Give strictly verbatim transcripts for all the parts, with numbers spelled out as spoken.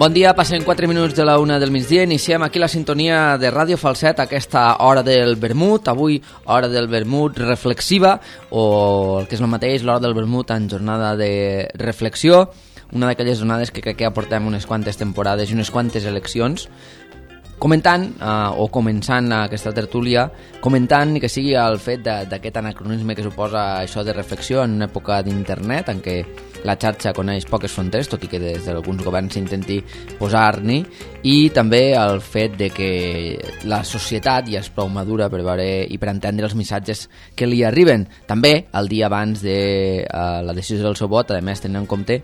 Bon dia, passen quatre minuts de la una del migdia. Iniciem aquí la sintonia de Ràdio Falset, aquesta hora del vermut. Avui, hora del vermut reflexiva, o el que és el mateix, l'hora del vermut en jornada de reflexió. Una d'aquelles jornades que crec que ja portem unes quantes temporades i unes quantes eleccions, comentant, eh, o començant aquesta tertúlia, comentant que sigui el fet d'aquest anacronisme que suposa això de reflexió en una època d'internet en què la xarxa coneix poques fronteres, tot i que des d'alguns governs s'intenti posar-n'hi, i també el fet de que la societat ja és prou madura per veure i per entendre els missatges que li arriben. També, el dia abans de uh, la decisió del seu vot, a més tenint en compte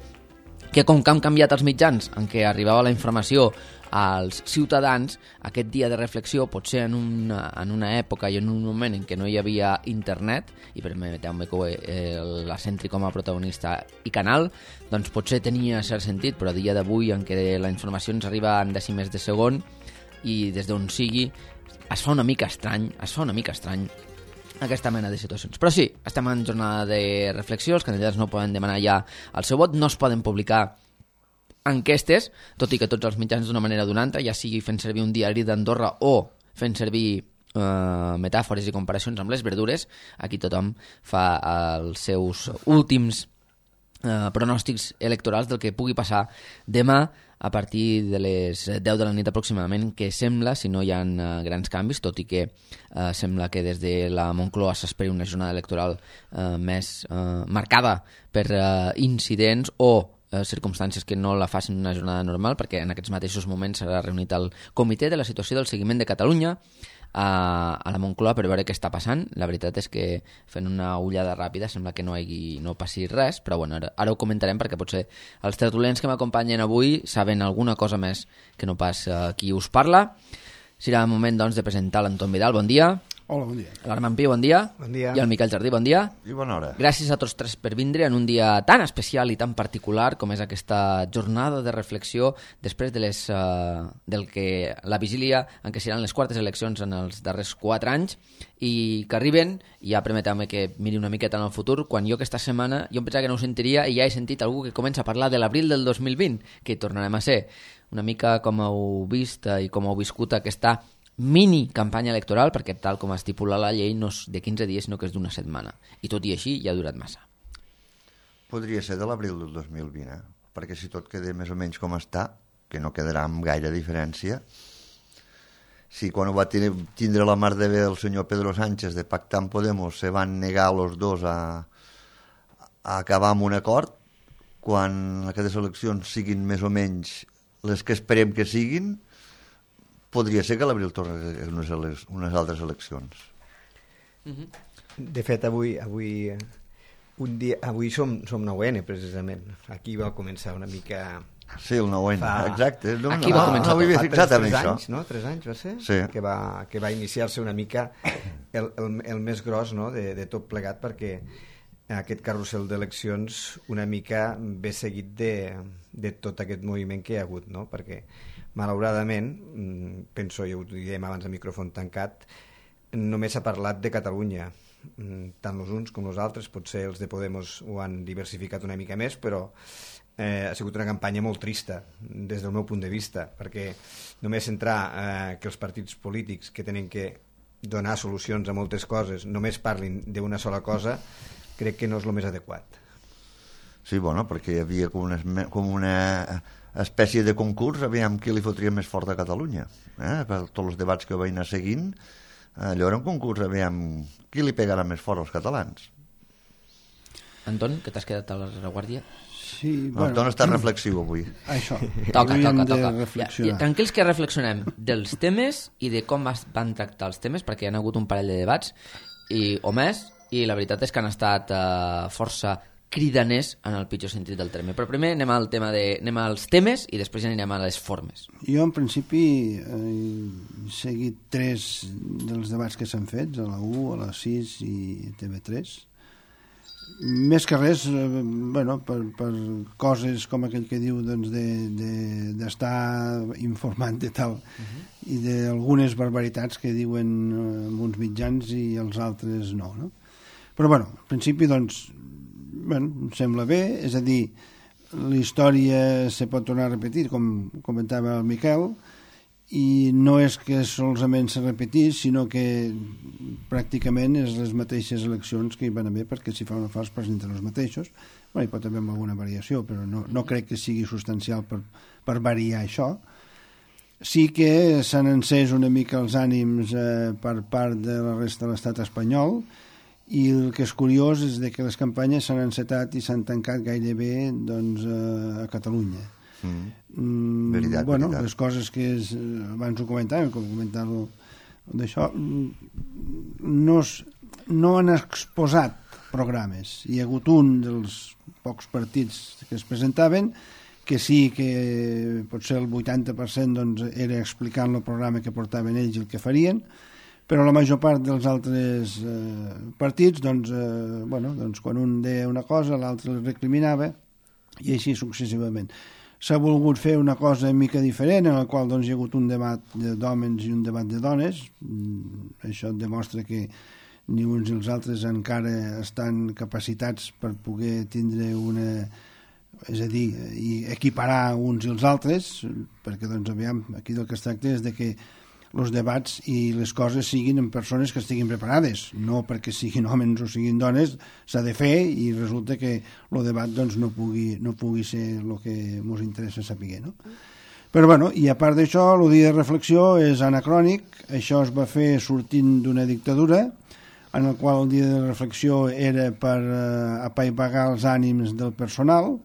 que com que han canviat els mitjans en què arribava la informació als ciutadans, aquest dia de reflexió, potser en una, en una època i en un moment en què no hi havia internet, i permeteu-me que eh, la centri com a protagonista i canal, doncs potser tenia cert sentit, però a dia d'avui en què la informació ens arriba en dècimes de segon i des d'on sigui, es fa una mica estrany, es fa una mica estrany aquesta mena de situacions. Però sí, estem en jornada de reflexió, els candidats no poden demanar ja el seu vot, no es poden publicar enquestes, tot i que tots els mitjans d'una manera o d'una altra, ja sigui fent servir un diari d'Andorra o fent servir eh, metàfores i comparacions amb les verdures, aquí tothom fa els seus últims eh, pronòstics electorals del que pugui passar demà a partir de les deu de la nit aproximadament, que sembla, si no hi ha uh, grans canvis, tot i que uh, sembla que des de la Moncloa s'esperi una jornada electoral uh, més uh, marcada per uh, incidents o uh, circumstàncies que no la facin una jornada normal, perquè en aquests mateixos moments s'ha reunit el comitè de la situació del seguiment de Catalunya a, a la Moncloa per veure què està passant. La veritat és que fent una ullada ràpida sembla que no, hi, no passi res, però bueno, ara, ara ho comentarem perquè potser els tertulians que m'acompanyen avui saben alguna cosa més que no pas uh, qui us parla. Serà el moment doncs de presentar l'Anton Vidal, bon dia. Hola, bon dia. L'Armand Pi, bon dia. Bon dia. I el Miquel Jardí, bon dia. I bona hora. Gràcies a tots tres per vindre en un dia tan especial i tan particular com és aquesta jornada de reflexió després de les, uh, del que la vigília en què seran les quartes eleccions en els darrers quatre anys i que arriben, i ja permeteu-me que miri una miqueta en el futur, quan jo aquesta setmana jo em pensava que no ho sentiria i ja he sentit algú que comença a parlar de l'abril del dos mil vint, que tornarem a ser una mica com heu vist i com heu viscut aquesta mini campanya electoral, perquè tal com estipula la llei no és de quinze dies sinó que és d'una setmana, i tot i així ja ha durat massa. Podria ser de l'abril del dos mil vint, eh? Perquè si tot queda més o menys com està, que no quedarà amb gaire diferència, si quan ho va tindre la mar de bé el senyor Pedro Sánchez de pactar amb Podemos se van negar els dos a, a acabar amb un acord, quan aquestes eleccions siguin més o menys les que esperem que siguin, podria ser que l'abril torni unes, unes altres eleccions. De fet, avui avui, un dia, avui som, som nou ene, precisament. Aquí va començar una mica... Sí, el nou ene, fa... exacte. No, Aquí va no, començar. No m'havia fixat en tres això. Anys, no? Tres anys va ser? Sí. Que va, que va iniciar-se una mica el, el, el més gros, no? de, de tot plegat, perquè aquest carrusel d'eleccions una mica ve seguit de, de tot aquest moviment que hi ha hagut, no? Perquè malauradament, penso, ja ho diem abans a micròfon tancat, només s'ha parlat de Catalunya, tant els uns com els altres, potser els de Podemos ho han diversificat una mica més, però eh, ha sigut una campanya molt trista des del meu punt de vista, perquè només centrar eh, que els partits polítics que tenen que donar solucions a moltes coses només parlin d'una sola cosa, crec que no és el més adequat. Sí, bueno, perquè hi havia com una, com una espècie de concurs, aviam qui li fotria més fort a Catalunya. Eh? Per tots els debats que vaig anar seguint, allò era un concurs, aviam qui li pegarà més fort als catalans. Anton, que t'has quedat a la reguàrdia? Sí, bueno, Anton està reflexiu avui. Això. Toca, toca, toca. Ja, ja, tranquils que reflexionem dels temes i de com es van tractar els temes, perquè hi ha hagut un parell de debats, i, o més, i la veritat és que han estat uh, força cridaners en el pitjor sentit del terme. Però primer anem al tema de, anem als temes i després ja anirem a les formes. Jo en principi eh, he seguit tres dels debats que s'han fet, a la u, a la sis i a T V tres. Més que res, eh, bueno, per, per coses com aquell que diu doncs, de, de, d'estar informant de tal uh-huh. i d'algunes barbaritats que diuen eh, uns mitjans i els altres no, no? Però bueno, en principi doncs bueno, em sembla bé, és a dir, la història se pot tornar a repetir, com comentava el Miquel, i no és que solament se repetís, sinó que pràcticament és les mateixes eleccions que hi van haver, perquè si fa una fa es presenten els mateixos. Bueno, hi pot haver alguna variació, però no, no crec que sigui substancial per, per variar això. Sí que s'han encès una mica els ànims eh, per part de la resta de l'estat espanyol, i el que és curiós és de que les campanyes s'han encetat i s'han tancat gairebé doncs, eh, a Catalunya. Mm. Mm, veritat, bueno, veritat. les coses que és, abans ho comentàvem, com comentar-ho d'això, no, no han exposat programes. Hi ha hagut un dels pocs partits que es presentaven que sí que potser el vuitanta per cent doncs, era explicant el programa que portaven ells i el que farien, però la major part dels altres eh, partits, doncs, eh, bueno, doncs, quan un deia una cosa, l'altre el recriminava, i així successivament. S'ha volgut fer una cosa una mica diferent, en la qual doncs, hi ha hagut un debat d'hòmens i un debat de dones. Això demostra que ni uns ni els altres encara estan capacitats per poder tindre una... és a dir, equiparar uns i els altres, perquè doncs, aviam, aquí del que es tracta és de que els debats i les coses siguin en persones que estiguin preparades, no perquè siguin homes o siguin dones, s'ha de fer i resulta que el debat doncs, no, pugui, no pugui ser el que ens interessa saber, no? Però bueno, i a part d'això, el dia de reflexió és anacrònic, això es va fer sortint d'una dictadura, en el qual el dia de reflexió era per eh, apaivagar els ànims del personal,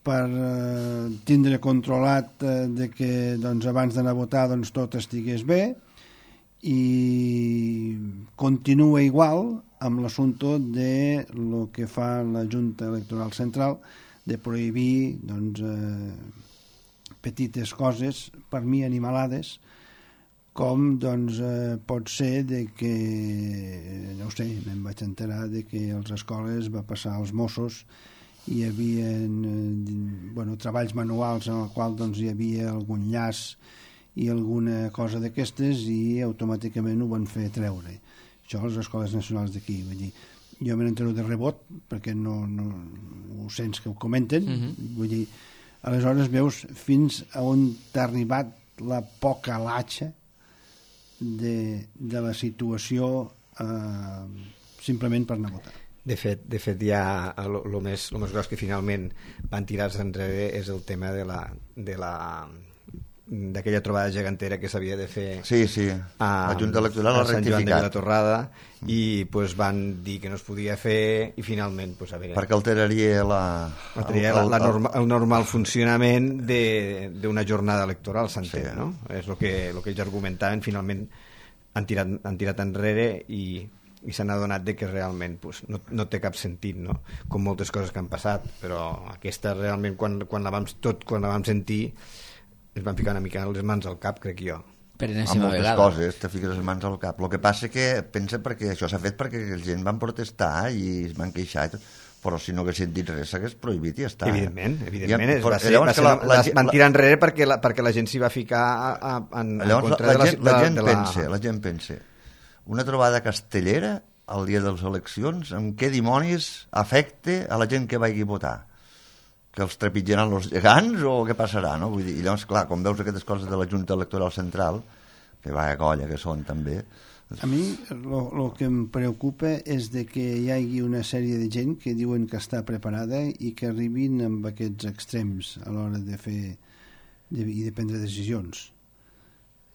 per eh, tindre controlat eh, de que doncs, abans d'anar a votar doncs, tot estigués bé, i continua igual amb l'assumpte de lo que fa la Junta Electoral Central de prohibir doncs, eh, petites coses, per mi animalades, com doncs, eh, pot ser de que, no ho sé, me'n vaig enterar de que a les escoles va passar als Mossos, hi havia eh, bueno, treballs manuals en el qual doncs, hi havia algun llaç i alguna cosa d'aquestes i automàticament ho van fer treure. Això a les escoles nacionals d'aquí. Vull dir, jo me n'entero de rebot perquè no, no ho sents que ho comenten. Uh-huh. Vull dir, aleshores veus fins a on t'ha arribat la poca latxa de, de la situació eh, simplement per anar a votar. De fet, de fet ja el, el, més, el més gros que finalment van tirar-se enrere és el tema de la, de la, d'aquella trobada gegantera que s'havia de fer sí, sí. A, la Junta Electoral a ha Sant Joan de rectificat Vilatorrada i pues, van dir que no es podia fer i finalment pues, a veure, perquè alteraria, la, alteraria el, el, la, la norma, el normal funcionament d'una jornada electoral, s'entén, sí. No? És el que, el que ells argumentaven, finalment han tirat, han tirat enrere i i s'han adonat de que realment pues, no, no té cap sentit, no? Com moltes coses que han passat, però aquesta realment quan, quan, la, vam, tot, quan la vam sentir ens van ficar una mica les mans al cap, crec jo. Per enèsima enèsima moltes vegada. Coses te fiques les mans al cap. El que passa que pensa perquè això s'ha fet perquè la gent van protestar i es van queixar i tot, però si no haguessin dit res s'hagués prohibit i ja està. Evidentment, evidentment. Ja, va ser, va ser, la, la, la, van tirar enrere perquè la, perquè la gent s'hi va ficar a, a, en, llavors, en contra la, la, de la, gent, la, gent de la... pensa, la gent pensa una trobada castellera el dia de les eleccions, amb què dimonis afecte a la gent que vagi a votar? Que els trepitjaran els gegants o què passarà, no? Vull dir, i llavors, clar, com veus aquestes coses de la Junta Electoral Central, que va a colla que són també... A mi el que em preocupa és de que hi hagi una sèrie de gent que diuen que està preparada i que arribin amb aquests extrems a l'hora de fer de, i de prendre decisions.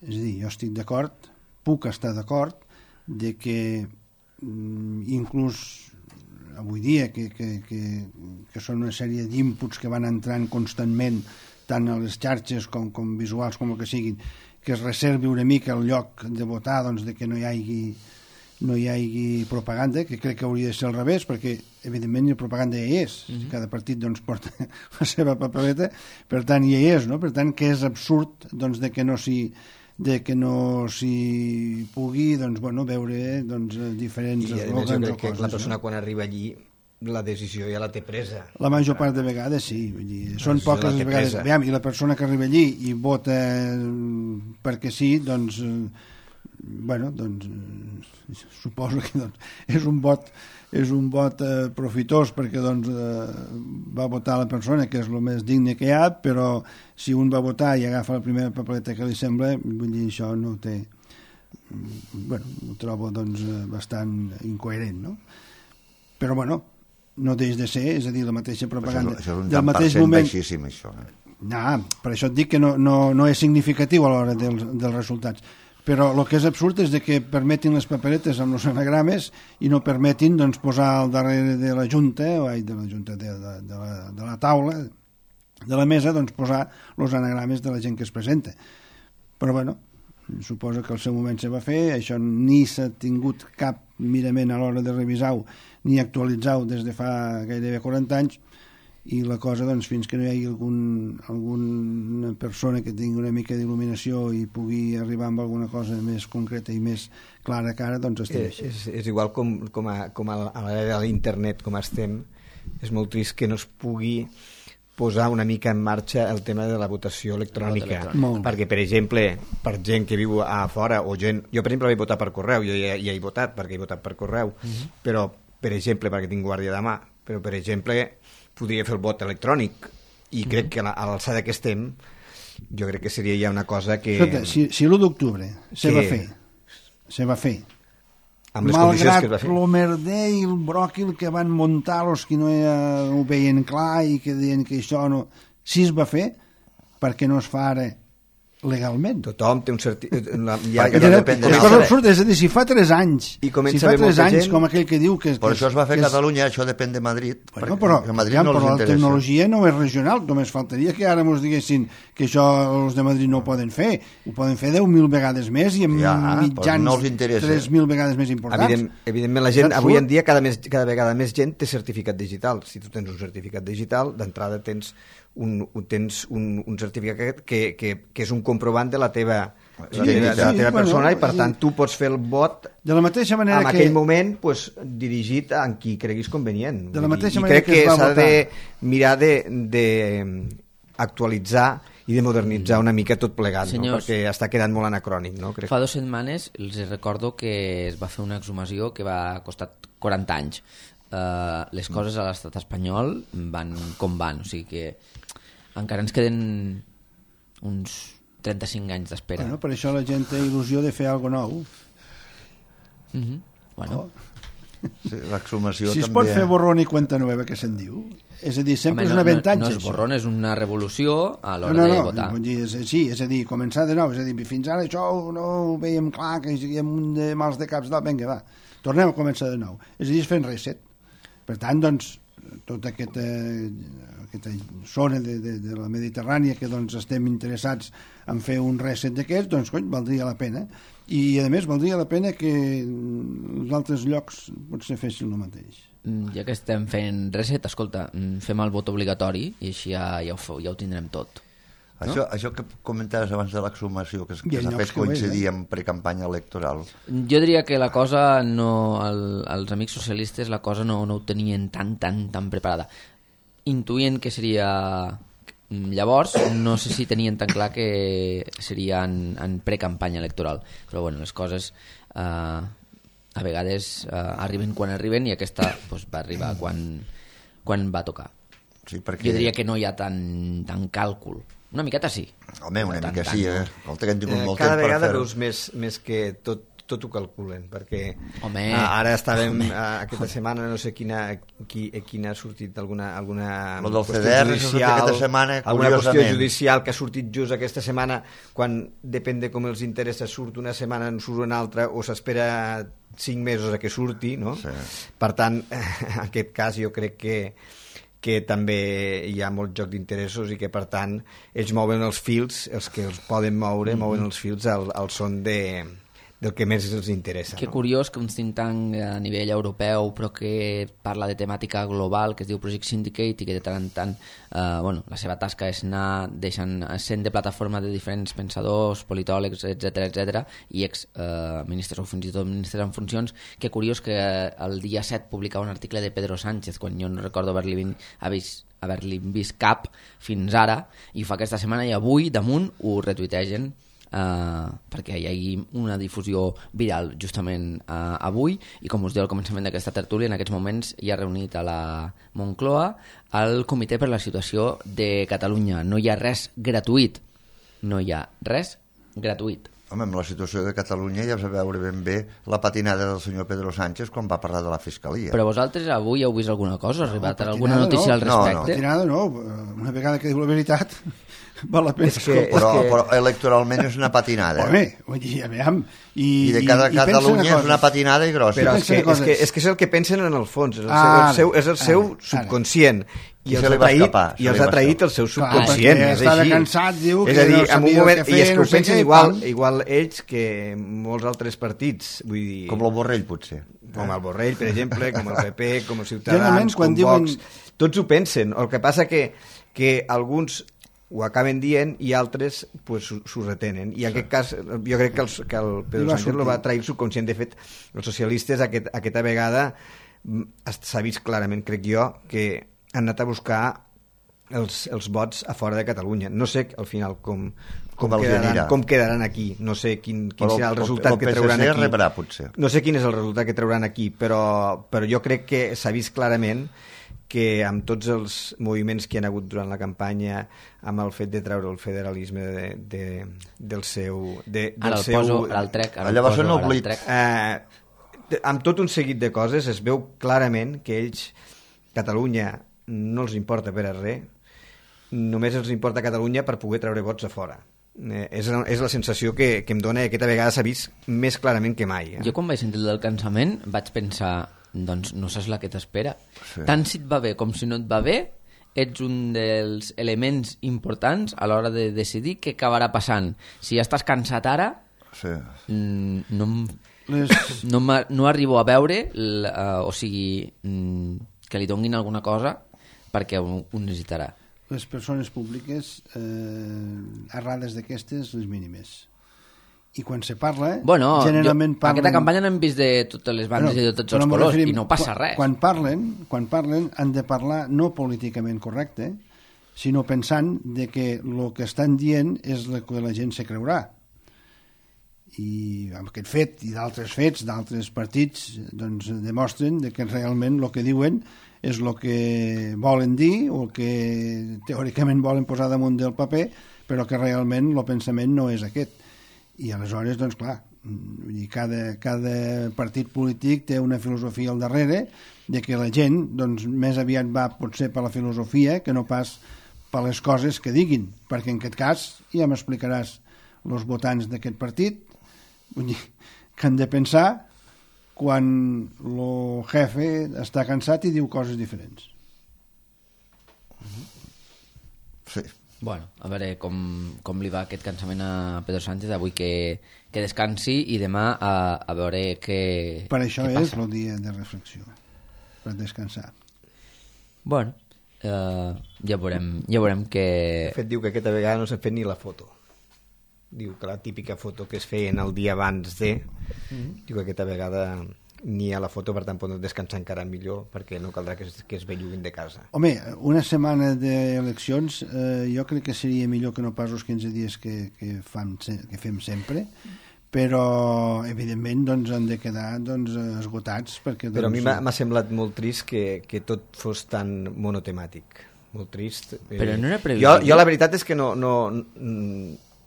És a dir, jo estic d'acord, puc estar d'acord de que inclús avui dia que, que, que, que són una sèrie d'inputs que van entrant constantment tant a les xarxes com, com visuals com el que siguin, que es reservi una mica el lloc de votar, doncs, de que no hi hagi no hi hagi propaganda, que crec que hauria de ser al revés, perquè evidentment la propaganda ja hi és, mm-hmm. Cada partit doncs, porta la seva papeleta, per tant ja hi és, no? Per tant que és absurd doncs, de que no s'hi de que no s'hi pugui doncs, bueno, veure doncs, diferents i a més jo crec que coses, la persona no? Quan arriba allí la decisió ja la té presa. La major part de vegades sí, vull dir, són poques vegades. Aviam, i la persona que arriba allí i vota perquè sí, doncs bueno, doncs suposo que doncs, és un vot, és un vot eh, profitós perquè doncs, eh, va votar la persona que és el més digne que hi ha, però si un va votar i agafa la primera papeleta que li sembla, vull dir, això no té... Bueno, ho trobo doncs, bastant incoherent, no? Però, bueno, no deix de ser, és a dir, la mateixa propaganda. Això és un del tant mateix per cent moment... baixíssim, això. Eh? No, per això et dic que no, no, no és significatiu a l'hora dels, dels resultats. Però el que és absurd és de que permetin les paperetes amb els anagrames i no permetin doncs, posar al darrere de la junta, o ai, de la junta de, de, de, la, de la taula, de la mesa, doncs, posar els anagrames de la gent que es presenta. Però, bueno, suposo que al seu moment se va fer, això ni s'ha tingut cap mirament a l'hora de revisar-ho ni actualitzar-ho des de fa gairebé quaranta anys, i la cosa, doncs, fins que no hi hagi algun, alguna persona que tingui una mica d'il·luminació i pugui arribar amb alguna cosa més concreta i més clara cara, doncs estem és, així. és, és igual com, com, a, com a l'era de l'internet, com estem, és molt trist que no es pugui posar una mica en marxa el tema de la votació electrònica, perquè, per exemple, per gent que viu a fora, o gent... Jo, per exemple, vaig votar per correu, jo ja, ja he votat, perquè he votat per correu, uh-huh. però, per exemple, perquè tinc guàrdia de mà, però, per exemple, podria fer el vot electrònic, i crec que a l'alçada que estem, jo crec que seria ja una cosa que... Escolta, si, si l'u d'octubre se que... va fer, se va fer, amb les condicions que es va fer. Malgrat el merder i el bròquil que van muntar els que no ho veien clar i que deien que això no... Si es va fer, per què no es fa ara legalment? Tothom té un certificat... Ja, ja no depèn de és cosa absurda, és a dir, si fa tres anys, I si fa tres anys, gent... com aquell que diu que... Per que això es va fer a Catalunya, això depèn de Madrid, bueno, però, a Madrid ja, no però els la interessa. tecnologia no és regional, només faltaria que ara ens diguessin que això els de Madrid no ho poden fer, ho poden fer deu mil vegades més i amb ja, mitjans no tres mil vegades més importants. Evident, evidentment la gent, avui en dia cada, més, cada vegada més gent té certificat digital. Si tu tens un certificat digital, d'entrada tens un, tens un, un certificat que, que, que és un comprovant de la teva, sí, de la teva, sí, teva bueno, persona, i per sí. tant tu pots fer el vot de la mateixa manera en que... aquell moment pues, dirigit a qui creguis convenient. De la mateixa I manera crec que, que es va s'ha votar... de mirar de, de actualitzar i de modernitzar una mica tot plegat, no? Perquè està quedant molt anacrònic. No? Crec. Fa dues setmanes els recordo que es va fer una exhumació que va costar quaranta anys. Uh, les coses a l'estat espanyol van com van, o sigui que encara ens queden uns trenta-cinc anys d'espera. Bueno, per això la gent té il·lusió de fer alguna nou. Mm-hmm. Bueno. Oh. Sí, l'exhumació si es també... pot fer borrón i cuenta nueva, que se'n diu? És a dir, sempre Home, és un avantatge. No, no és borrón, és una revolució a l'hora no, no, de votar. No, dir, és, sí, és a dir, començar de nou. És a dir, fins ara això no ho veiem clar, que hi ha un de mals de caps, vinga, va. Tornem a començar de nou. És a dir, és fent reset. Per tant, doncs, tota aquesta, aquesta zona de, de, de la Mediterrània que doncs, estem interessats en fer un reset d'aquests, doncs, cony, valdria la pena. I, a més, valdria la pena que els altres llocs potser fessin el mateix. Ja que estem fent reset, escolta, fem el vot obligatori i així ja, ja, ho, ja ho tindrem tot. No? Això, això que comentaves abans de l'exhumació, que, que s'ha fet coincidir amb precampanya electoral. Jo diria que la cosa, no, el, els amics socialistes, la cosa no, no ho tenien tan, tan, tan preparada. Intuïen que seria... Llavors, no sé si tenien tan clar que seria en, en precampanya electoral. Però, bueno, les coses eh, a vegades eh, arriben quan arriben i aquesta pues, va arribar quan, quan va tocar. Sí, perquè... Jo diria que no hi ha tant, tant càlcul. Una miqueta sí. Home, una no mica tant, sí, tant, eh? No. Que hem tingut eh, molt cada temps vegada per veus més, més que tot, tot ho calculen, perquè home, ara estàvem home. aquesta setmana, no sé quina, qui, quina ha sortit alguna, alguna Lo del qüestió C D R judicial, aquesta setmana, alguna qüestió curiosament. judicial que ha sortit just aquesta setmana, quan depèn de com els interessa surt una setmana, en surt una altra, o s'espera cinc mesos a que surti, no? Sí. Per tant, en aquest cas jo crec que que també hi ha molt joc d'interessos i que, per tant, ells mouen els fils, els que els poden moure, mm-hmm. mouen els fils al, al son de, del que més els interessa. Que no? curiós que un think tank a nivell europeu, però que parla de temàtica global, que es diu Project Syndicate, i que de tant en tant eh, bueno, la seva tasca és anar deixant, sent de plataforma de diferents pensadors, politòlegs, etcètera, etcètera, i ex-ministres eh, o fins i tot ministres en funcions. Que curiós que el dia set publicava un article de Pedro Sánchez, quan jo no recordo haver-li vist, haver-li vist cap fins ara, i ho fa aquesta setmana, i avui damunt ho retuitegen eh, perquè hi hagi una difusió viral justament eh, avui, i com us deia al començament d'aquesta tertúlia, en aquests moments hi ha reunit a la Moncloa el Comitè per la Situació de Catalunya. No hi ha res gratuït, no hi ha res gratuït. Home, amb la situació de Catalunya ja vas a veure ben bé la patinada del senyor Pedro Sánchez quan va parlar de la Fiscalia. Però vosaltres avui heu vist alguna cosa? Ha arribat no, alguna notícia no. al respecte? No, no. Patinada no, una vegada que diu la veritat val la pena. És que, Però, és que... però electoralment és una patinada. Home, vull dir, aviam... I, I de cada i, Catalunya i és una patinada i grossa. Però és que, és, que, és que és el que pensen en el fons, és el seu, el seu, és el seu ara, subconscient. I, I els se ha li va traït, escapar, i els ha traït el seu subconscient. Clar, és estava així. cansat, diu és que a dir, no en un sabia moment, què fer, i és que no ho sé pensen què, igual, pam. igual ells que molts altres partits. Vull dir, Com el Borrell, potser. com el Borrell, per exemple, com el P P, com els Generalment, Ciutadans, quan com diuen- Vox, tots ho pensen. El que passa que, que alguns ho acaben dient i altres pues, s'ho retenen. I en aquest cas, jo crec que, els, que el I Pedro va Sánchez lo sortir. va trair el subconscient. De fet, els socialistes aquest, aquesta vegada mm, s'ha vist clarament, crec jo, que han anat a buscar els, els vots a fora de Catalunya. No sé al final com, com, Com els quedaran, anirà. com quedaran aquí. No sé quin, quin Però serà el el- resultat el que P S C trauran aquí. rebrà, potser. No sé quin és el resultat que trauran aquí, però, però jo crec que s'ha vist clarament que amb tots els moviments que hi ha hagut durant la campanya, amb el fet de treure el federalisme de, de, del seu... De, del Ara el seu, poso, ara el trec, ara el Allà va ser poso, un ara el oblit. trec. Eh, amb tot un seguit de coses es veu clarament que ells, Catalunya, no els importa per a res, només els importa Catalunya per poder treure vots a fora. Eh, és, la, és la sensació que, que em dona, i aquesta vegada s'ha vist més clarament que mai. Eh? Jo quan vaig sentir el del cansament vaig pensar, doncs no saps la que t'espera. Sí. Tant si et va bé com si no et va bé, ets un dels elements importants a l'hora de decidir què acabarà passant. Si ja estàs cansat ara, Sí. mm, no, em- Les, no, m'ha- no arribo a veure, l- uh, o sigui, mm, que li donguin alguna cosa perquè ho, ho necessitarà. les persones públiques eh, errades d'aquestes, les mínimes. I quan se parla, Bueno, generalment jo, parlen... aquesta campanya n'hem vist de totes les bandes Bueno, i de tots però els m'ho colors referim- i no passa quan, res. Quan parlen, quan parlen han de parlar no políticament correcte, sinó pensant de que el que estan dient és el que la gent se creurà. I amb aquest fet i d'altres fets d'altres partits doncs, demostren de que realment el que diuen és el que volen dir o el que teòricament volen posar damunt del paper, però que realment el pensament no és aquest. I aleshores, doncs clar, vull dir, cada, cada partit polític té una filosofia al darrere de que la gent doncs, més aviat va potser per la filosofia que no pas per les coses que diguin, perquè en aquest cas ja m'explicaràs els votants d'aquest partit, vull dir, que han de pensar quan el jefe està cansat i diu coses diferents. Sí. Bueno, a veure com, com li va aquest cansament a Pedro Sánchez, avui que, que descansi i demà a, a veure què, Per això què és passa. el dia de reflexió, per descansar. Bueno, eh, ja veurem, ja veurem que... De fet, diu que aquesta vegada no s'ha fet ni la foto. Diu que la típica foto que es feien el dia abans de... Mm-hmm. Diu que aquesta vegada ni a la foto, per tant poden descansar encara millor perquè no caldrà que es, que es belluguin de casa. Home, una setmana d'eleccions eh, jo crec que seria millor que no pas els quinze dies que, que, fam, que fem sempre, però evidentment doncs, han de quedar doncs, esgotats perquè, doncs, Però a mi m'ha m'ha semblat molt trist que, que tot fos tan monotemàtic. Molt trist. Però no era jo, previsible. jo la veritat és que no, no,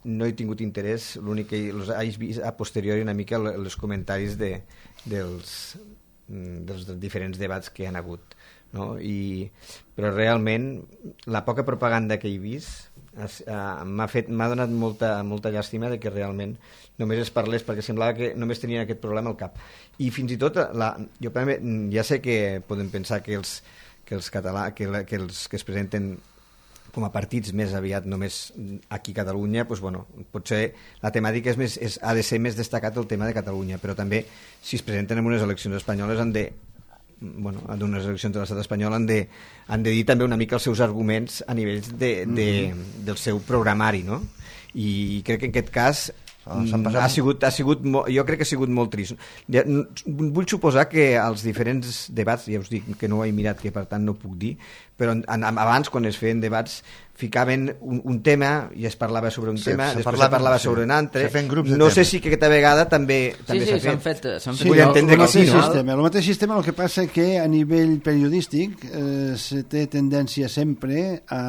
no he tingut interès, l'únic que els he vist a posteriori una mica els comentaris de, dels, dels diferents debats que hi han hagut. No? I, però realment la poca propaganda que he vist es, uh, m'ha fet m'ha donat molta, molta llàstima de que realment només es parlés, perquè semblava que només tenien aquest problema al cap. I fins i tot la, jo ja sé que podem pensar que els, que els català, que, la, que els que es presenten com a partits més aviat només aquí a Catalunya, doncs, bueno, potser la temàtica és més, és, ha de ser més destacat el tema de Catalunya, però també si es presenten en unes eleccions espanyoles han de bueno, en unes eleccions de l'estat espanyol han de, han de dir també una mica els seus arguments a nivell de, de, del seu programari, no? I crec que en aquest cas passat... ha sigut, ha sigut molt, jo crec que ha sigut molt trist. Vull suposar que els diferents debats, ja us dic que no ho he mirat, que per tant no puc dir, però en, abans, quan es feien debats, ficaven un, un tema i es parlava sobre un sí, tema, després parlava, es parlava sí, sobre un altre. No sé si que aquesta vegada també també s'ha sí, sí, fet. fet. Sí, Vull entendre que sí, no? Sistema. El mateix sistema, el que passa que a nivell periodístic eh, se té tendència sempre a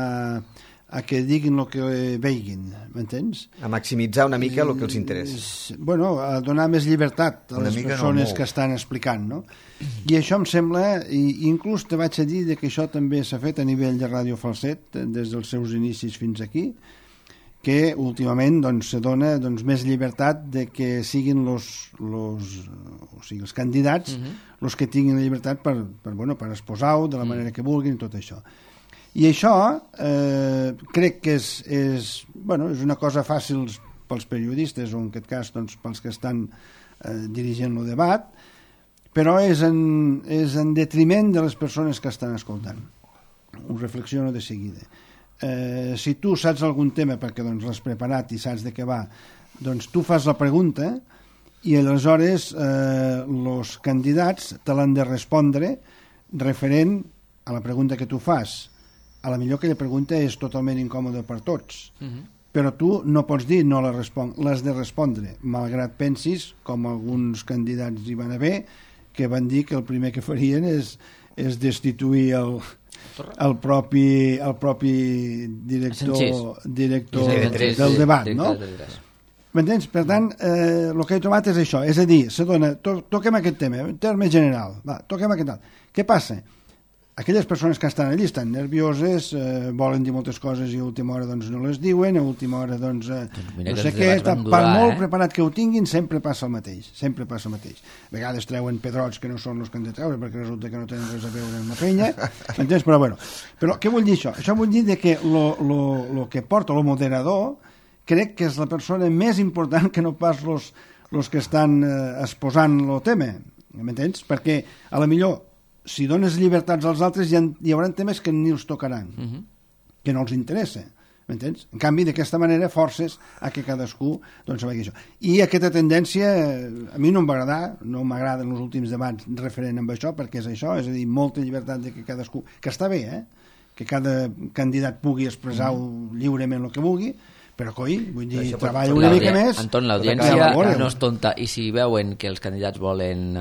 a que diguin el que veiguin, m'entens? A maximitzar una mica el que els interessa. Bueno, a donar més llibertat a una les persones no que estan explicant, no? I això em sembla, i inclús te vaig a dir que això també s'ha fet a nivell de Ràdio Falset, des dels seus inicis fins aquí, que últimament doncs, se dona doncs, més llibertat de que siguin los, los, o sigui, els candidats els uh -huh. que tinguin la llibertat per, per, bueno, per exposar-ho de la manera que vulguin i tot això. I això eh, crec que és, és, bueno, és una cosa fàcil pels periodistes o en aquest cas doncs, pels que estan eh, dirigint el debat, però és en, és en detriment de les persones que estan escoltant. Ho reflexiono de seguida. Eh, si tu saps algun tema perquè doncs, l'has preparat i saps de què va, doncs tu fas la pregunta i aleshores eh, els candidats te l'han de respondre referent a la pregunta que tu fas. A la millor aquella pregunta és totalment incòmoda per tots, uh-huh. però tu no pots dir no la responc, l'has de respondre, malgrat pensis, com alguns candidats hi van haver, que van dir que el primer que farien és, és destituir el, el, propi, el propi director, director del debat, no? M'entens? Per tant, eh, el que he trobat és això, és a dir, se dona, to, toquem aquest tema, en terme general, va, toquem aquest alt. Què passa? Aquelles persones que estan allí estan nervioses, eh, volen dir moltes coses i a última hora doncs, no les diuen, a última hora doncs, eh, doncs no sé què, per durar, molt eh? preparat que ho tinguin sempre passa el mateix, sempre passa el mateix. A vegades treuen pedrots que no són els que han de treure perquè resulta que no tenen res a veure amb la penya, m'entens? Però bueno, però què vull dir això? Això vull dir que el que porta el moderador crec que és la persona més important que no pas els que estan eh, exposant el tema, m'entens? Perquè a la millor si dones llibertats als altres hi, ha, hi haurà temes que ni els tocaran, uh-huh. que no els interessa, m'entens? En canvi, d'aquesta manera forces a que cadascú doncs vegi això. I aquesta tendència a mi no em va agradar, no m'agraden els últims debats referent amb això, perquè és això, és a dir, molta llibertat de que cadascú, que està bé, eh? Que cada candidat pugui expressar uh-huh. lliurement el que vulgui, però coi, vull dir, això treballa una mica més. Anton, l'audiència no és tonta, i si veuen que els candidats volen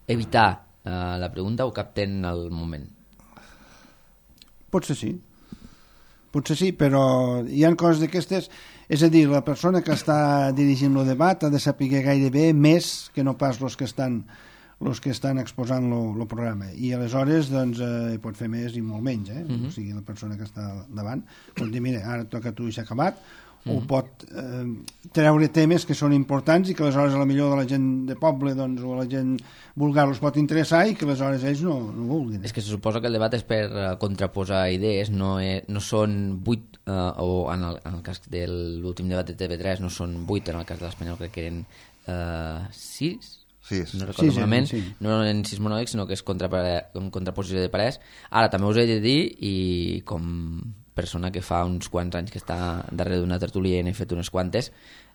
evitar Uh, la pregunta ho capten al moment? Potser sí. Potser sí, però hi ha coses d'aquestes... És a dir, la persona que està dirigint el debat ha de saber gairebé més que no pas els que estan els que estan exposant el programa. I aleshores doncs, eh, pot fer més i molt menys. Eh? Uh-huh. O sigui, la persona que està davant pot dir, mira, ara toca a tu i s'ha acabat, o pot eh, treure temes que són importants i que aleshores a la millor de la gent de poble doncs, o a la gent vulgar els pot interessar i que aleshores ells no, no vulguin. És que se suposa que el debat és per uh, contraposar idees, no, és, no són vuit, uh, o en el, en el cas de l'últim debat de T V tres no són vuit, en el cas de l'Espanyol crec que eren uh, sis, sí, no recordo sí, malament, sí. no eren sis monòlegs, sinó que és contra, en contraposició de parers. Ara també us he de dir, i com persona que fa uns quants anys que està darrere d'una tertúlia i n'he fet unes quantes,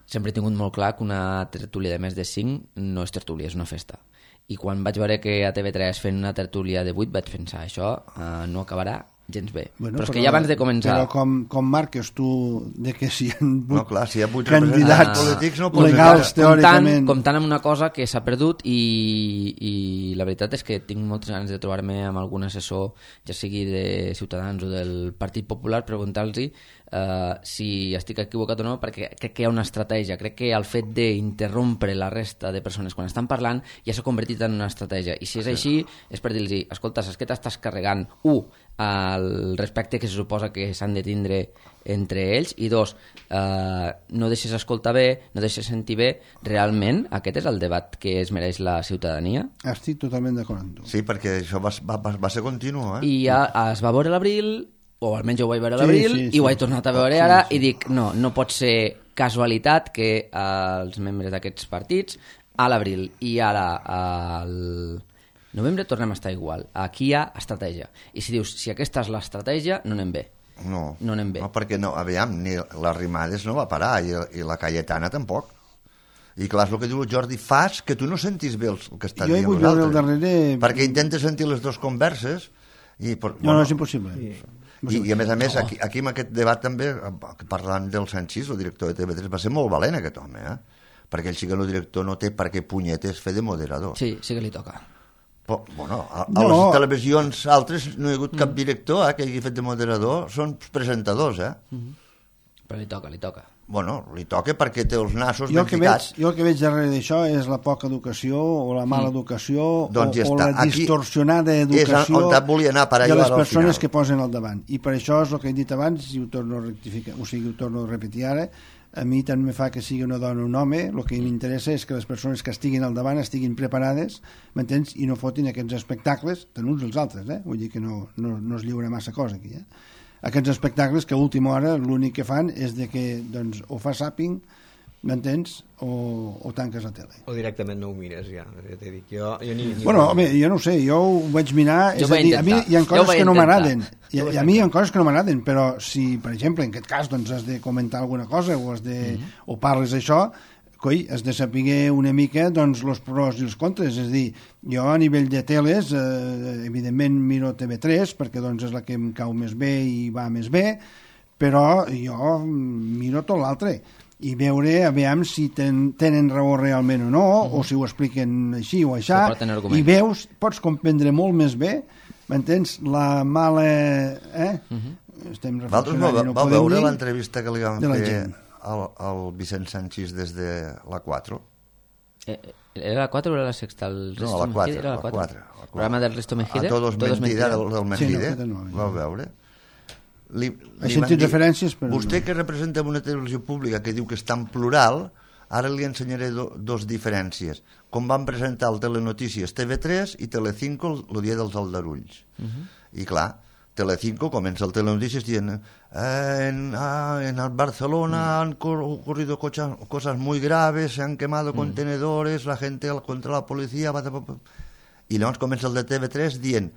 sempre he tingut molt clar que una tertúlia de més de cinc no és tertúlia, és una festa. I quan vaig veure que a T V tres fent una tertúlia de vuit vaig pensar, això uh, no acabarà gens bé. Bueno, però és però, que ja abans de començar... Però com, com marques tu de que si hi ha vuit no, clar, si hi ha vuit candidats polítics no legals, teòricament... Comptant, comptant amb una cosa que s'ha perdut i, i la veritat és que tinc moltes ganes de trobar-me amb algun assessor, ja sigui de Ciutadans o del Partit Popular, preguntar-los uh, si estic equivocat o no, perquè crec que hi ha una estratègia. Crec que el fet d'interrompre la resta de persones quan estan parlant ja s'ha convertit en una estratègia. I si és així, és per dir-los, escolta, saps que t'estàs carregant, u, el respecte que se suposa que s'han de tindre entre ells, i dos, eh, no deixes escoltar bé, no deixes sentir bé. Realment aquest és el debat que es mereix la ciutadania? Estic totalment d'acord amb tu. Sí, perquè això va, va, va ser continu, eh? I ja es va veure a l'abril, o almenys jo ho vaig veure a l'abril, sí, sí, sí. I ho he tornat a veure ara, sí, sí. I dic, no, no pot ser casualitat que els membres d'aquests partits a l'abril i ara al novembre tornem a estar igual. Aquí hi ha estratègia. I si dius, si aquesta és l'estratègia, no anem bé. No, no anem bé. No, perquè no, aviam, ni l'Arrimades no va parar i, i la Cayetana tampoc. I clar, és el que diu el Jordi, fas que tu no sentis bé el que està jo dient vull els veure altres. el darrere... Perquè intentes sentir les dues converses i... Per, No, no, és impossible. I, I a més a més, aquí, aquí en aquest debat també, parlant del Sanchís, el director de T V tres, va ser molt valent aquest home, eh? Perquè ell sí que el director no té per què punyetes fer de moderador. Sí, sí que li toca. Però, bueno, a, a No. les televisions altres no hi ha hagut cap director eh, que hagi fet de moderador, són presentadors, eh? Mm-hmm. Però li toca, li toca. Bueno, li toca perquè té els nassos Jo el, ben que veig, ficats. jo el que veig darrere d'això és la poca educació o la mala educació Doncs ja o, o està. la Aquí distorsionada és educació on volia anar, per de allò les ara al persones final. que posen al davant. I per això és el que he dit abans, i ho torno a rectificar, o sigui, ho torno a repetir ara, a mi tant me fa que sigui una dona o un home, el que m'interessa és que les persones que estiguin al davant estiguin preparades, m'entens? I no fotin aquests espectacles, tant uns els altres, eh? Vull dir que no, no, no es lliura massa cosa aquí, eh? Aquests espectacles que a última hora l'únic que fan és de que doncs, o fas zapping, m'entens, o, o tanques la tele. O directament no ho mires, ja. ja t'he dit, jo, jo ni, ni Bueno, home, jo no ho sé, jo ho vaig mirar, Jo és ho a vaig dir, a mi intentar. hi ha Jo ho coses vaig que no intentar. m'agraden, i, i a mi hi ha coses que no m'agraden, però si, per exemple, en aquest cas, doncs has de comentar alguna cosa o, has de, mm-hmm. o parles d'això, coi, has de saber una mica doncs, els pros i els contres, és a dir, jo a nivell de teles, eh, evidentment miro T V tres, perquè doncs, és la que em cau més bé i va més bé, però jo miro tot l'altre, i veure, a veure si ten, tenen raó realment o no, mm-hmm. o si ho expliquen així o aixà, i veus, pots comprendre molt més bé, m'entens, la mala... Eh? Mm-hmm. Estem reflexionant va, i no va podem veure dir l'entrevista que li van de la fer gent. al, al Vicent Sanchís des de la quatre? Eh, ¿Era la cuatro o era la sexta? El No, a la quatre. Era la la cuatro. quatre, la quatre. Programa del Risto Mejide. A Todos, Todos Mentida, del, del Mejide. Sí, no, no, Vau veure? Li, He li sentit van dir, referències, però vostè no. que representa una televisió pública que diu que és tan plural, ara li ensenyaré do, dos diferències. Com van presentar el Telenotícies T V tres i Telecinco el, el dia dels aldarulls. Uh -huh. I clar, Telecinco comença el Telenotícies dient eh, en, ah, en Barcelona mm. han ocurrido cosas, cosas muy graves, se han quemado mm. contenedores, la gente contra la policía... I llavors comença el de T V tres dient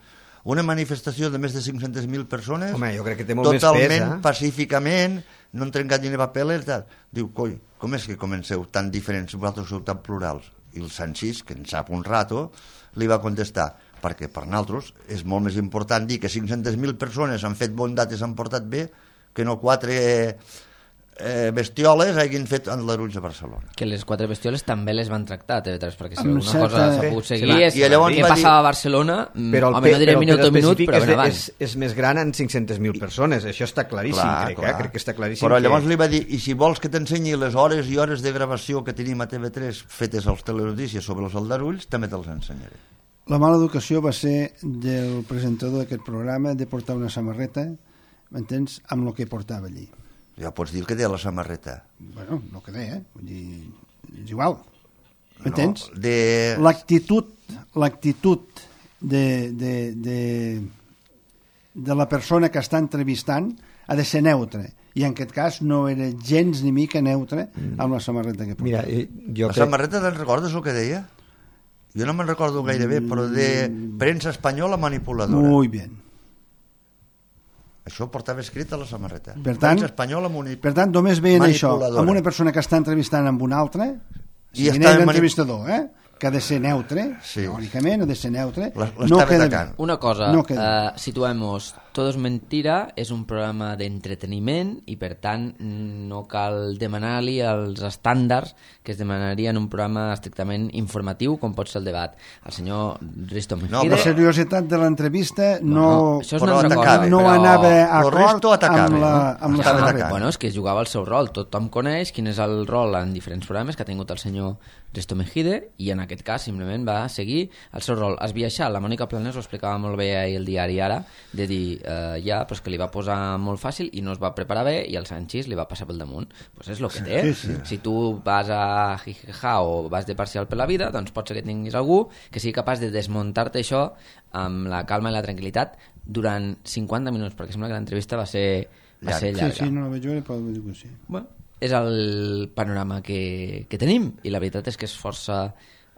una manifestació de més de cinc-centes mil persones. Home, jo crec que té molt totalment més pes, eh? pacíficament, no han trencat ni papeles, tal. Diu, coi, com és que comenceu tan diferents, vosaltres sou tan plurals? I el Sanchís, que en sap un rato, li va contestar, perquè per nosaltres és molt més important dir que cinc-centes mil persones han fet bondat i s'han portat bé que no quatre eh, bestioles hagin fet aldarulls a Barcelona. Que les quatre bestioles també les van tractar a T V tres, perquè si Amb alguna certa- cosa s'ha pogut Sí, seguir clar. és I llavors què va dir- passava a Barcelona, mm, Però el, home, no diré però el minut a minut, específic però és, ben de, abans. és, és més gran en cinc-centes mil persones, això està claríssim, Clar, crec, clar. Eh? crec que està claríssim. Però llavors que... li va dir, i si vols que t'ensenyi les hores i hores de gravació que tenim a T V tres fetes als telenotícies sobre els aldarulls, també te'ls ensenyaré. La mala educació va ser del presentador d'aquest programa de portar una samarreta, m'entens, amb el que portava allí. Ja pots dir el que té a la samarreta. Bueno, no que deia, eh? Vull dir, és igual. M'entens? No, de... L'actitud l'actitud de, de, de, de la persona que està entrevistant ha de ser neutra. I en aquest cas no era gens ni mica neutre amb la samarreta que portava. Mira, eh, jo La crec... samarreta te'n recordes el que deia? Jo no me'n recordo gaire bé, però de premsa espanyola manipuladora. Muy bien. Això portava escrit a la samarreta. Per tant, premsa espanyola mani... per tant, només veien això manipuladora. amb una persona que està entrevistant amb una altra, si I n'és està l'entrevistador, eh? que ha de ser neutre, Sí. teòricament ha de ser neutre, La- no l'estava queda atacant. bé. Una cosa, No queda. eh, situemos, Todo es mentira és un programa d'entreteniment i per tant no cal demanar-li els estàndards que es demanarien en un programa estrictament informatiu com pot ser el debat. El senyor Risto Mejide... No, La però- seriositat de l'entrevista no, Bueno, això és però una altra atacava, cosa, no però... anava a Lo acord resto atacava, amb la, no? amb la Estava samarreta. atacant. Bueno, és que jugava el seu rol. Tothom coneix quin és el rol en diferents programes que ha tingut el senyor Risto Mejide i en aquest cas simplement va seguir el seu rol. Esbiaixar, la Mònica Planés ho explicava molt bé ahir el diari Ara, de dir, eh, ja, però és que li va posar molt fàcil i no es va preparar bé i el Sanchís li va passar pel damunt. Pues és el que té. Sí, sí. Si tu vas a jijija o vas de parcial per la vida, doncs pot ser que tinguis algú que sigui capaç de desmuntar-te això amb la calma i la tranquil·litat durant cinquanta minuts, perquè sembla que l'entrevista va ser, va ser Sí, llarga. sí, no la vaig veure, però vull dir que sí. Bueno, és el panorama que, que tenim i la veritat és que és força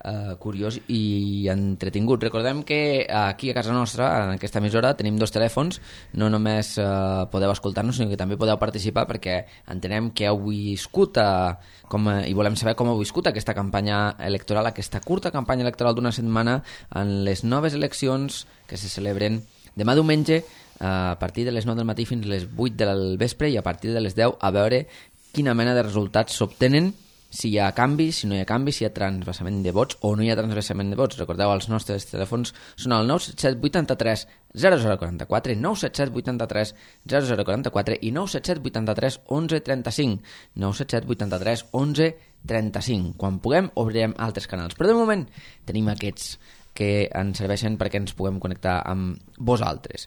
eh, curiós i entretingut. Recordem que aquí a casa nostra, en aquesta emissora, tenim dos telèfons, no només eh, podeu escoltar-nos, sinó que també podeu participar, perquè entenem que heu viscut eh, com, eh, i volem saber com heu viscut aquesta campanya electoral, aquesta curta campanya electoral d'una setmana en les noves eleccions que se celebren demà diumenge a partir de les nou del matí fins a les vuit del vespre i a partir de les deu a veure quina mena de resultats s'obtenen, si hi ha canvi, si no hi ha canvi, si hi ha transvasament de vots o no hi ha transvasament de vots. Recordeu, els nostres telèfons són el nou set set vuit tres zero zero quatre quatre, nou set set vuit tres zero zero quatre quatre i nou set set vuit tres onze trenta cinc, nou set set vuit tres onze trenta cinc. Quan puguem obrirem altres canals, però de moment tenim aquests que ens serveixen perquè ens puguem connectar amb vosaltres.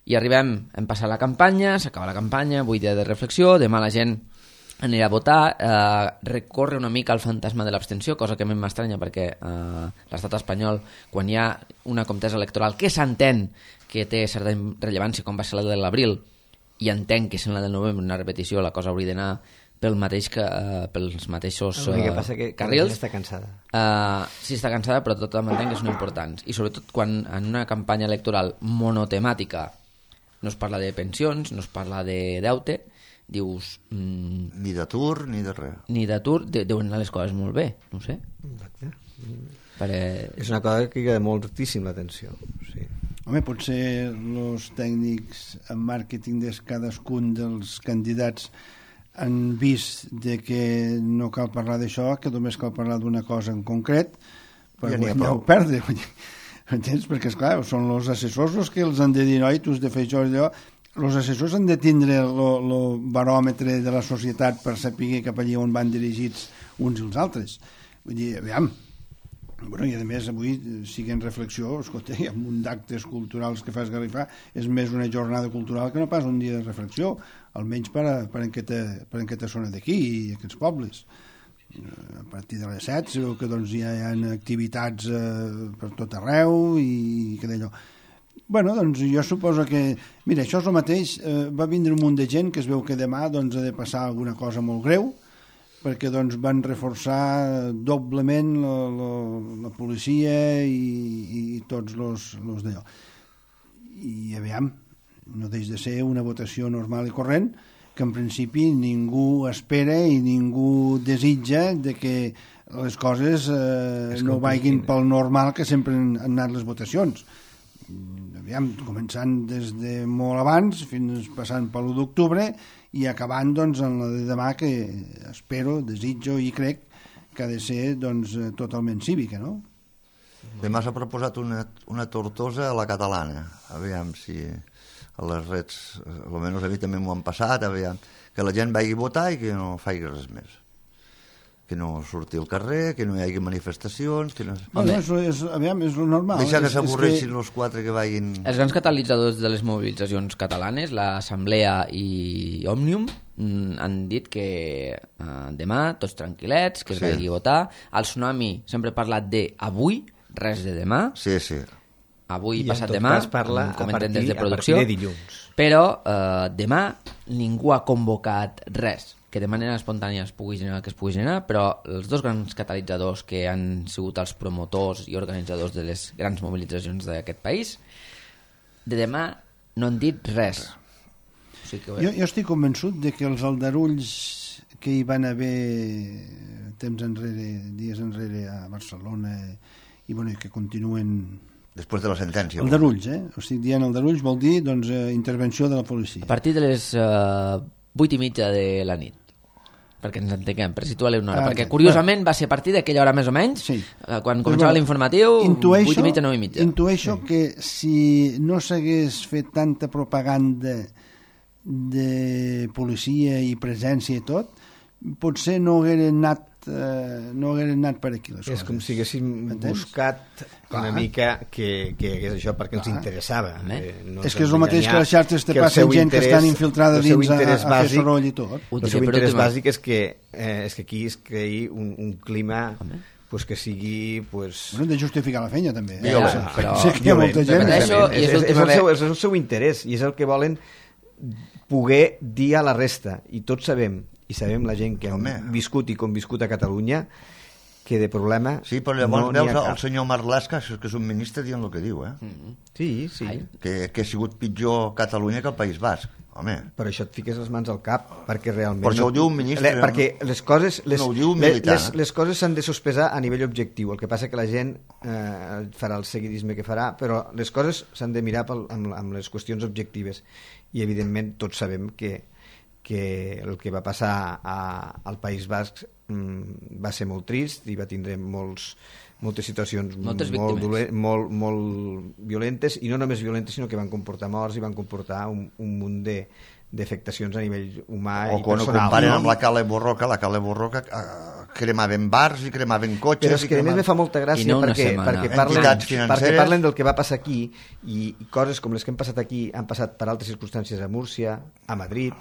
I arribem, hem passat la campanya, s'acaba la campanya, avui dia de reflexió, demà la gent anirà a votar, eh, recorre una mica el fantasma de l'abstenció, cosa que a mi m'estranya perquè eh, l'estat espanyol, quan hi ha una contesa electoral que s'entén que té certa rellevància, com va ser la de l'abril, i entenc que sent la del novembre una repetició, la cosa hauria d'anar pel mateix que, eh, pels mateixos eh, el que passa que carrils. Està cansada. Uh, sí, està cansada, però tot m'entenc que són importants. I sobretot quan en una campanya electoral monotemàtica no es parla de pensions, no es parla de deute, dius... Mm, ni d'atur ni de res. Ni d'atur, de, deuen anar les coses molt bé, no ho sé. Exacte. Perquè... És una cosa que crida moltíssim l'atenció. Sí. Home, potser els tècnics en màrqueting de cadascun dels candidats han vist de que no cal parlar d'això, que només cal parlar d'una cosa en concret per ja guanyar o perdre. Entens? Perquè, esclar, són els assessors els que els han de dir, noi, tu has de fer això i allò. Els assessors han de tindre el baròmetre de la societat per saber cap allà on van dirigits uns i els altres. Vull dir, aviam, bueno, i a més avui siguent reflexió, escolta, hi ha un munt d'actes culturals que fa esgarrifar, és més una jornada cultural que no pas un dia de reflexió, almenys per, a, per, en, aquesta, per en aquesta zona d'aquí i aquests pobles. A partir de les set sabeu que doncs, hi ha activitats eh, per tot arreu i que d'allò. Bueno, doncs jo suposo que... Mira, això és el mateix. Eh, va vindre un munt de gent que es veu que demà doncs, ha de passar alguna cosa molt greu perquè doncs, van reforçar doblement la, la, la policia i, i tots els d'allò. I aviam, no deix de ser una votació normal i corrent que en principi ningú espera i ningú desitja de que les coses eh, no vagin pel normal que sempre han anat les votacions. Aviam, començant des de molt abans fins passant per l'u d'octubre i acabant doncs en la de demà que espero, desitjo i crec que ha de ser doncs totalment cívica, no? Demà s'ha proposat una, una tortosa a la catalana, aviam si a les reds, almenys a mi també m'ho han passat, aviam, que la gent vagi a votar i que no faci res més, que no surti al carrer, que no hi hagi manifestacions, que no... Bueno, és, és, aviam, és lo normal. Deixar que s'avorreixin que... els quatre que vagin... Els grans catalitzadors de les mobilitzacions catalanes, l'Assemblea i Òmnium, han dit que eh, demà tots tranquil·lets, que es sí. vagi a votar. El Tsunami sempre ha parlat de avui, res de demà. Sí, sí. Avui, I passat demà, parla com a partir, des de producció, a partir de dilluns. Però eh, demà ningú ha convocat res, que de manera espontània es pugui generar el que es pugui generar, però els dos grans catalitzadors que han sigut els promotors i organitzadors de les grans mobilitzacions d'aquest país, de demà no han dit res. O sigui que... jo, jo estic convençut de que els aldarulls que hi van haver temps enrere, dies enrere a Barcelona i bueno, que continuen... Després de la sentència. Aldarulls, eh? O estic dient aldarulls vol dir doncs, eh, intervenció de la policia. A partir de les eh, vuit i mitja de la nit, perquè ens entenguem, per situar-li una hora, ah, perquè curiosament va ser a partir d'aquella hora més o menys, sí. eh, quan començava bueno, l'informatiu, vuit i mitja, nou i mitja. Intueixo sí. que si no s'hagués fet tanta propaganda de policia i presència i tot, potser no hagueren anat eh, no hagueren anat per aquí les és coses. com si haguéssim Entens? buscat Clar. una mica que, que hagués això perquè Clar. ens interessava. Eh, no és que és el mateix que les xarxes te passen gent interès, que estan infiltrada dins a, a fer bàsic, soroll i tot. El seu interès bàsic és que, eh, és que aquí es creï un, un clima pues que sigui... Pues... Bueno, de justificar la feina també. Eh? Ja, ja, però... Sí, que hi ha molta gent. És, és, és, és, el seu, és el seu interès i és el que volen poder dir a la resta. I tots sabem, i sabem la gent que hem viscut i conviscut a Catalunya, que de problema Sí, però llavors no veus n'hi ha el cap. senyor Marlaska, que és un ministre, dient el que diu, eh? Mm. Sí, sí. Ai. Que, que ha sigut pitjor Catalunya que el País Basc. Home, Per això et fiques les mans al cap, perquè realment... Per això ho diu un ministre, Le, perquè les coses... Les, no ho diu un les, militar, les, eh? les coses s'han de sospesar a nivell objectiu. El que passa que la gent eh, farà el seguidisme que farà, però les coses s'han de mirar pel, amb, amb les qüestions objectives. I, evidentment, tots sabem que, que el que va passar a, al País Basc mm, va ser molt trist i va tindre molts... moltes situacions Moltes molt, víctimes. dolent, molt, molt violentes, i no només violentes, sinó que van comportar morts i van comportar un, un munt de, d'afectacions a nivell humà o i quan ho personal. comparen no? amb la Cala Borroca, la Cala Borroca eh, cremaven bars i cremaven cotxes... Però és i que a més cremaven... me fa molta I gràcia no una perquè, setmana. perquè, parlen, Entitats financeres. perquè parlen del que va passar aquí, i, i coses com les que han passat aquí han passat per altres circumstàncies a Múrcia, a Madrid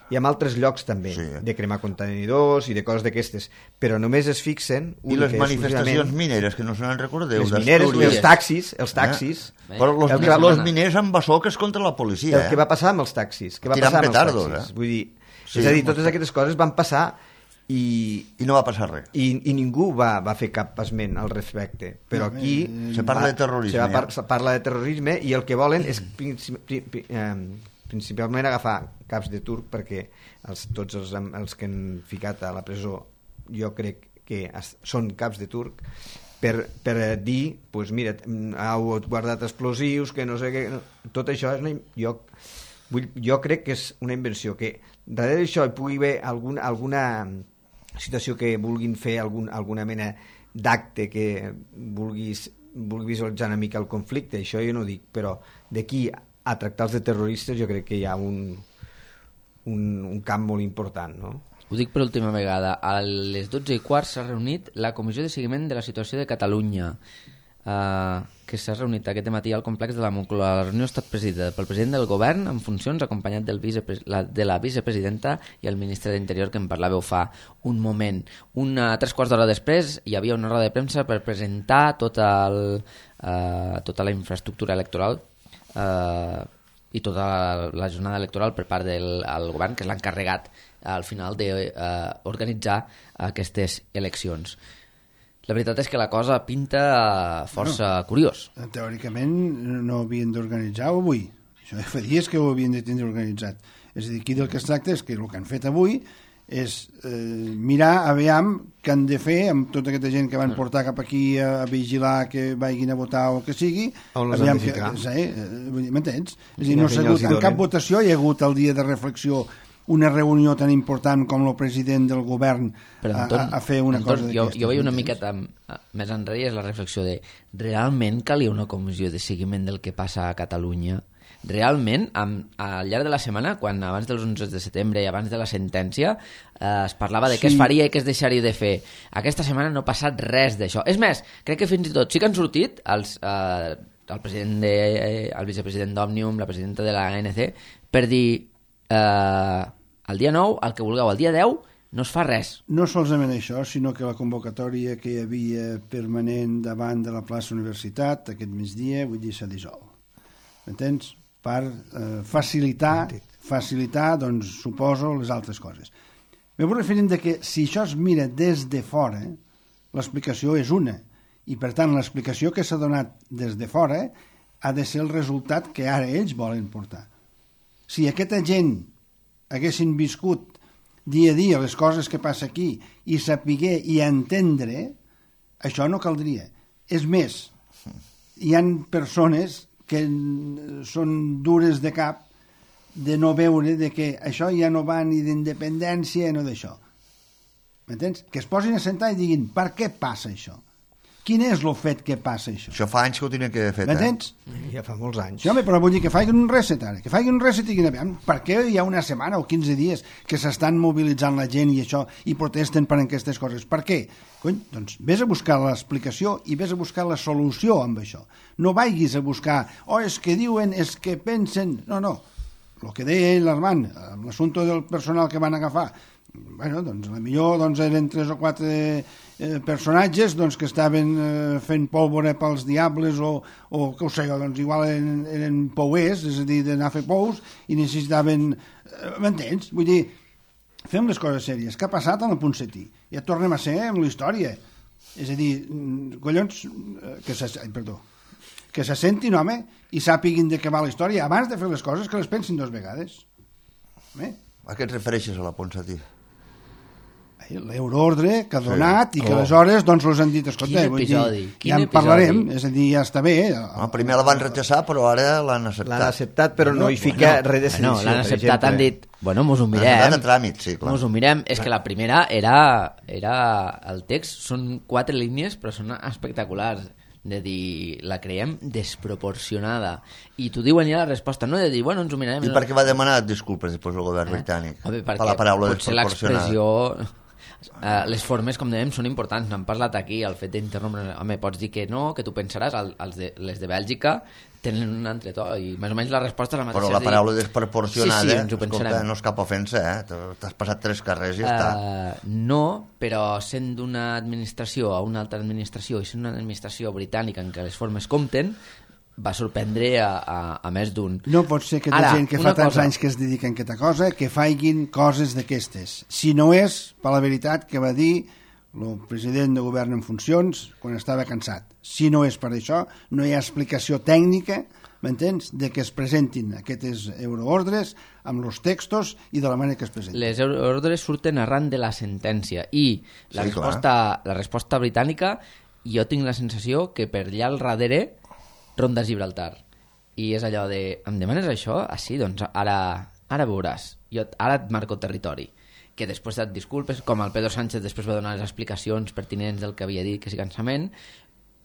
i en altres llocs també, Sí. de cremar contenidors i de coses d'aquestes, però només es fixen... I les única i manifestacions exclusivament, mineres, que no se n'en recordeu, les mineres, d'Astúries. els taxis, els taxis, Eh? Però los, El que va- los miners amb basoques contra la policia, el que va passar amb els taxis, que va Tirant passar amb els petardos, taxis. eh? Vull dir, Sí, és a dir, molt totes bé. aquestes coses van passar i, I no va passar res. i, i ningú va, va fer cap esment al respecte, però aquí Se parla de terrorisme, se, va par, ja. se parla de terrorisme i el que volen és princi, pri, pri, eh, principalment agafar caps de turc, perquè els, tots els, els que han ficat a la presó jo crec que es, són caps de turc per, per dir, pues mira, heu guardat explosius, que no sé què, no, tot això és una, jo, vull, jo crec que és una invenció, que darrere d'això hi pugui haver alguna, alguna situació que vulguin fer algun, alguna mena d'acte que vulguis, vulgui visualitzar una mica el conflicte, això jo no ho dic, però d'aquí a tractar-los de terroristes jo crec que hi ha un, un, un camp molt important, no? Ho dic per última vegada. A les dotze i quart s'ha reunit la Comissió de Seguiment de la Situació de Catalunya, eh, que s'ha reunit aquest matí al complex de la Moncloa. La reunió ha estat presidida pel president del govern en funcions, acompanyat del vicepre la, de la vicepresidenta i el ministre d'Interior, que en parlàveu fa un moment. Una, tres quarts d'hora després hi havia una roda de premsa per presentar tota, el, eh, tota la infraestructura electoral eh, i tota la, la jornada electoral per part del el govern, que és l'encarregat al final d'organitzar eh, aquestes eleccions. La veritat és que la cosa pinta força no. curiós. Teòricament no havien d'organitzar avui. Això fa dies que ho havien de tindre organitzat. És a dir, aquí del que es tracta és que el que han fet avui és eh, mirar a veure què han de fer amb tota aquesta gent que van portar cap aquí a, a vigilar que vagin a votar o que sigui. On les han de que, ficar? sí, m'entens? És a dir, Quina no s'ha feina els hagut, hi en cap donen? votació hi ha hagut el dia de reflexió una reunió tan important com el president del govern Però, a, Anton, a, a fer una Anton, cosa jo, d'aquestes. jo veia una m'entens? miqueta m- més enrere, és la reflexió de realment calia una comissió de seguiment del que passa a Catalunya? Realment, amb, al llarg de la setmana, quan abans dels onze de setembre i abans de la sentència eh, es parlava de què Sí. es faria i què es deixaria de fer, aquesta setmana no ha passat res d'això. És més, crec que fins i tot sí que han sortit els, eh, el president de, eh, el vicepresident d'Òmnium, la presidenta de la A N C, per dir eh, el dia nou, el que vulgueu, el dia deu no es fa res. No solament això, sinó que la convocatòria que hi havia permanent davant de la plaça Universitat aquest migdia, vull dir, s'ha dissolt. M'entens? Per eh, facilitar, facilitar, doncs, suposo, les altres coses. Me vull referir de que si això es mira des de fora, l'explicació és una, i per tant l'explicació que s'ha donat des de fora ha de ser el resultat que ara ells volen portar. Si aquesta gent haguessin viscut dia a dia les coses que passa aquí i sapiguer i entendre, això no caldria. És més, hi han persones que són dures de cap de no veure de que això ja no va ni d'independència no d'això. M'entens? Que es posin a sentar i diguin per què passa això? Quin és el fet que passa això? Això fa anys que ho tenen que haver fet, eh? M'entens? Ja fa molts anys. Sí, home, però vull dir que facin un reset ara, que facin un reset i diguin, aviam, per què hi ha una setmana o quinze dies que s'estan mobilitzant la gent i això, i protesten per aquestes coses? Per què? Cony, doncs vés a buscar l'explicació i vés a buscar la solució amb això. No vagis a buscar, oh, és que diuen, és que pensen... No, no, el que deia ell, l'Armand, amb l'assumpte del personal que van agafar, bueno, doncs la millor doncs, eren tres o quatre eh, personatges doncs, que estaven eh, fent pólvora pels diables o, o que ho sé jo, doncs igual eren, eren pouers, és a dir, d'anar a fer pous i necessitaven... Eh, m'entens? Vull dir, fem les coses sèries. Què ha passat en el Ponsatí? Ja tornem a ser amb la història. És a dir, collons, que se, ai, perdó, que se sentin, home, i sàpiguin de què va la història abans de fer les coses, que les pensin dues vegades. Eh? A què et refereixes a la Ponsatí? L'euroordre que ha donat sí. i que Oh. aleshores doncs els han dit, escolta, Quin episodi, dir, quin ja en episodi. parlarem, és a dir, ja està bé. No, primer la van rechaçar, però ara l'han acceptat. L'han acceptat, però no hi fica Bueno, res de bueno, sedició, l'han per acceptat, exemple. han dit, bueno, mos ho Han mirem. anat a tràmit, sí, clar. Mos ho mirem. És que la primera era, era el text, són quatre línies, però són espectaculars. De dir, la creiem desproporcionada. I t'ho diuen ja la resposta, no de dir, bueno, ens ho mirarem. I per què va demanar disculpes després el govern britànic? Home, per perquè la paraula potser desproporcionada. l'expressió... Uh, les formes, com dèiem, són importants. N'hem parlat aquí, el fet d'interrompre... Home, pots dir que no, que tu pensaràs, el, els de, les de Bèlgica tenen un altre to, i més o menys la resposta és la mateixa. Però la és dir, paraula desproporcionada, sí, sí, ens ho escolta, pensarem. no és cap ofensa, eh? T'has passat tres carrers i ja està. Uh, no, però sent d'una administració a una altra administració i sent una administració britànica en què les formes compten, va sorprendre a, a, a més d'un. No pot ser que hi Ara, ha gent que fa una tants cosa. anys que es dediquen a aquesta cosa que faiguin coses d'aquestes. Si no és per la veritat que va dir el president de govern en funcions quan estava cansat. Si no és per això, no hi ha explicació tècnica, m'entens?, de que es presentin aquestes euroordres amb els textos i de la manera que es presenten. Les ordres surten arran de la sentència i la, Sí, resposta, la resposta britànica, jo tinc la sensació que per allà al darrere ronda Gibraltar. I és allò de, em demanes això? Ah, sí, doncs ara, ara veuràs. Jo ara et marco territori. Que després et disculpes, com el Pedro Sánchez després va donar les explicacions pertinents del que havia dit, que sí, cansament.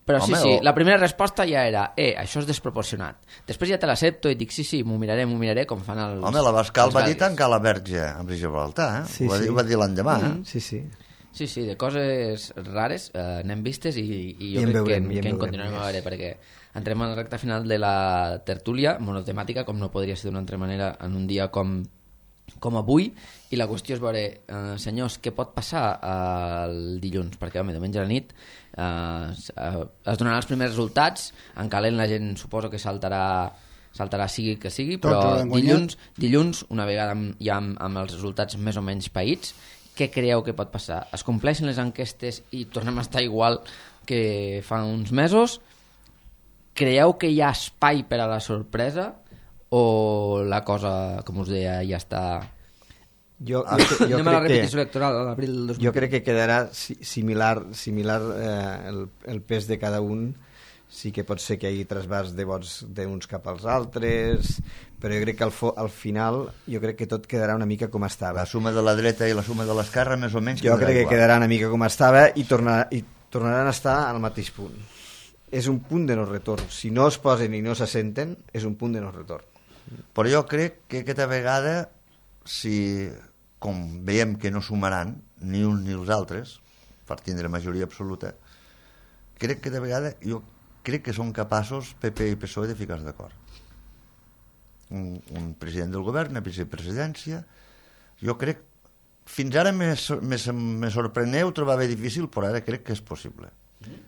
Però Home, sí, sí, o- la primera resposta ja era, eh, això és desproporcionat. Després ja te l'accepto i dic, sí, sí, m'ho miraré, m'ho miraré, com fan els... Home, la Bascal els va dir belgues. tancar la verge a Gibraltar, eh? Sí, ho, va sí. dir, ho va dir l'endemà, eh? Sí, sí. Sí, sí, de coses rares eh, n'hem vistes i, i jo I en crec veurem, que, i en que en veurem continuarem a més. veure, perquè entrem a la recta final de la tertúlia monotemàtica, com no podria ser d'una altra manera en un dia com, com avui, i la qüestió és veure, eh, senyors, què pot passar eh, el dilluns? Perquè, home, diumenge a la nit eh, es, eh, es donaran els primers resultats, en calent la gent suposo que saltarà saltarà sigui que sigui, Tots però hauran guanyat. dilluns, dilluns, una vegada amb, ja amb, amb els resultats més o menys païts, què creieu que pot passar? Es compleixen les enquestes i tornem a estar igual que fa uns mesos? Creieu que hi ha espai per a la sorpresa o la cosa, com us deia, ja està... Jo, Ah, jo, jo, Anem a la crec repetició que, electoral a l'abril del dos mil jo crec que quedarà si- similar, similar eh, el, el pes de cada un. Sí que pot ser que hi hagi trasbàs de vots d'uns cap als altres, però jo crec que al, fo, al final jo crec que tot quedarà una mica com estava. La suma de la dreta i la suma de l'esquerra més o menys Jo quedarà crec que igual. quedarà una mica com estava i, tornar, i tornaran a estar al mateix punt. És un punt de no retorn. Si no es posen i no s'assenten, és un punt de no retorn. Però jo crec que aquesta vegada, si com veiem que no sumaran ni uns ni els altres, per tindre majoria absoluta, crec que de vegada jo crec que són capaços P P i P S O E de ficar-se d'acord. Un, un president del govern, una vicepresidència, jo crec, fins ara me, me, me sorpreneu, trobava difícil, però ara crec que és possible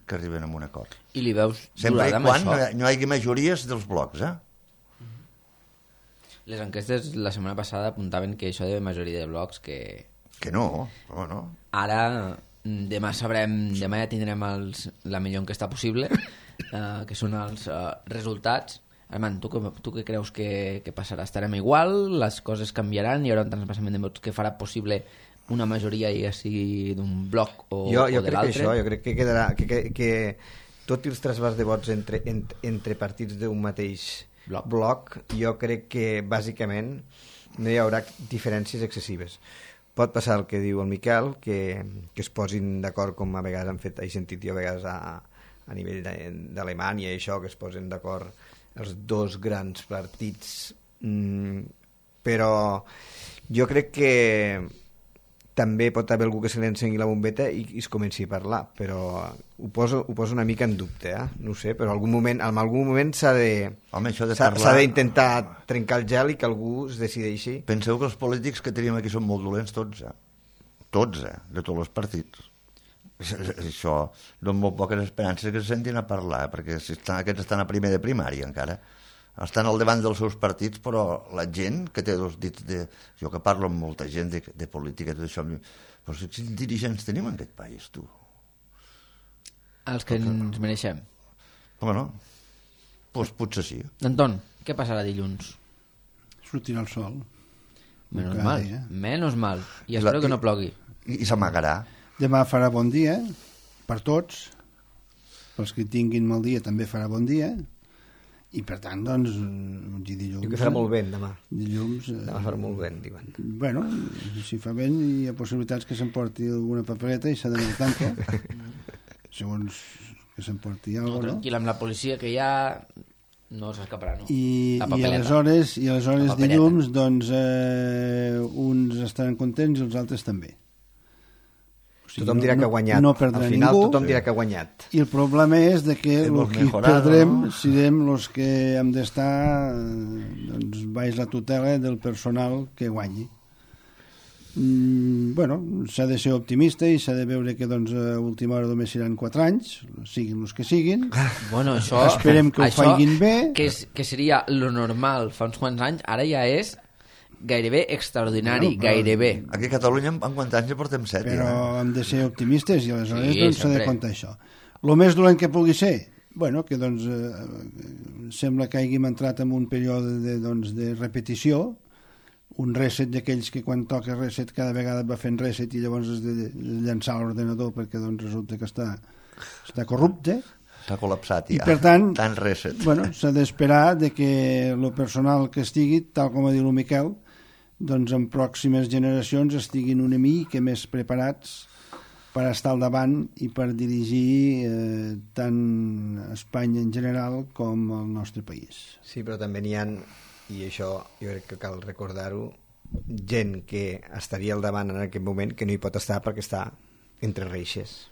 que arriben a un acord. I li veus Sempre i durada amb quan això? no hi, no hi hagi majories dels blocs, eh? Les enquestes la setmana passada apuntaven que això de majoria de blocs que... Que no, no, no. Ara, mm, demà sabrem, demà ja tindrem els, la millor enquesta possible, eh, que són els eh, resultats. Armand, tu, com- tu què creus que, que passarà? Estarem igual? Les coses canviaran? Hi haurà un transvasament de vots que farà possible una majoria, ja sigui d'un bloc o, jo, o jo de crec que l'altre? això, jo crec que quedarà que, que, que tot i els trasbàs de vots entre, entre, entre partits d'un mateix Bloc. bloc, jo crec que bàsicament no hi haurà diferències excessives. Pot passar el que diu el Miquel, que, que es posin d'acord, com a vegades han fet, he sentit jo a vegades a, a nivell de- d'Alemanya i això, que es posen d'acord els dos grans partits, mm, però jo crec que també pot haver algú que se li encengui la bombeta i, i es comenci a parlar, però ho poso, ho poso una mica en dubte, eh? No ho sé, però algun moment, en algun moment s'ha de Home, això de s'ha parlar- s'ha d'intentar trencar el gel i que algú es decideixi. Penseu que els polítics que tenim aquí són molt dolents tots, eh? Tots, eh? De tots els partits. Això, dono molt poques esperances que se sentin a parlar, eh? Perquè si estan, aquests estan a primer de primària encara. Estan al davant dels seus partits, però la gent que té dos dits de... Jo que parlo amb molta gent de, de política i tot això, però quins dirigents tenim en aquest país, tu? Els que ens mereixem. Bueno, doncs potser sí. Anton, què passarà dilluns? Sortirà el sol. Menos Cada mal, dia. menos mal. I I espero la- que no plogui. I, i s'amagarà. Demà farà bon dia, per tots. Pels que tinguin mal dia també farà bon dia. I per tant, doncs, eh, dilluns... Diu que farà molt vent demà. Dilluns... eh, Demà farà molt vent, diuen. Bueno, si fa vent hi ha possibilitats que s'emporti alguna papereta i s'ha d'anar al tanque. Segons que s'emporti No, alguna cosa, no? tranquil, amb la policia que hi ha no s'escaparà, no? I, La i papeleta. aleshores, i La aleshores papereta. dilluns doncs eh, uns estaran contents i els altres també. O sigui, Tothom dirà que ha guanyat. No perdrà Al final ningú. tothom dirà que ha guanyat. I el problema és de que el Hemos que mejorado, perdrem ¿no? serem els que hem d'estar eh, doncs, baix la tutela del personal que guanyi. Mm, bueno, s'ha de ser optimista i s'ha de veure que doncs, a última hora només seran quatre anys, siguin els que siguin. Bueno, això... Esperem que ho això, facin bé. Que, és, que seria lo normal fa uns quants anys, ara ja és gairebé extraordinari, Bueno, però- gairebé. Aquí a Catalunya en quants anys ja portem set, Però ja. hem de ser optimistes i aleshores Sí, doncs, s'ha de sempre. comptar això. El més dolent que pugui ser, bueno, que doncs, eh, sembla que hàgim entrat en un període de, doncs, de repetició, un reset d'aquells que quan toca reset cada vegada va fent reset i llavors has de llançar l'ordenador perquè doncs, resulta que està, està corrupte. S'ha col·lapsat I ja. per tant, Tant reset. bueno, s'ha d'esperar de que el personal que estigui, tal com ha dit el Miquel, doncs en pròximes generacions estiguin una mica més preparats per estar al davant i per dirigir eh, tant Espanya en general com el nostre país. Sí, però també n'hi ha, i això jo crec que cal recordar-ho, gent que estaria al davant en aquest moment que no hi pot estar perquè està entre reixes.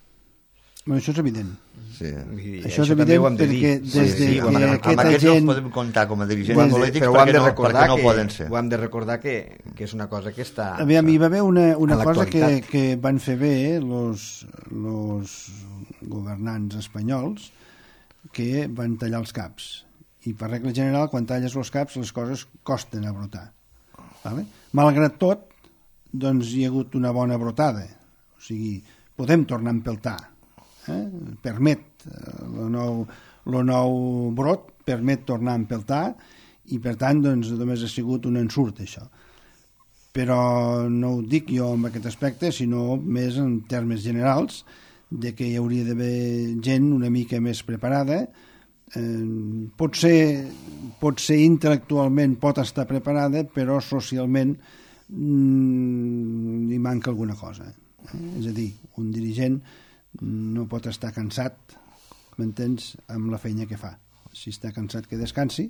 Bueno, això és evident. Sí. Vull dir, Això és també evident ho hem de dir. perquè des Sí, de sí, ho hem que de Amb aquesta aquests gent- no els podem comptar com a dirigents Des de- polítics però ho hem perquè de no, recordar perquè no que, poden ser. ho hem de recordar que, que és una cosa que està... Aviam, hi va haver una, una a cosa que, l'actualitat. que van fer bé los, los governants espanyols, que van tallar els caps. I per regla general, quan talles els caps, les coses costen a brotar. Vale? Malgrat tot, doncs hi ha hagut una bona brotada. O sigui, podem tornar a empeltar. Eh? Permet, el nou, el nou brot permet tornar a empeltar i per tant doncs, només ha sigut un ensurt això. Però no ho dic jo en aquest aspecte, sinó més en termes generals, de que hi hauria d'haver gent una mica més preparada. Eh, pot ser, pot ser intel·lectualment pot estar preparada, però socialment mm, li manca alguna cosa. Eh? És a dir, un dirigent no pot estar cansat, m'entens, amb la feina que fa. Si està cansat que descansi,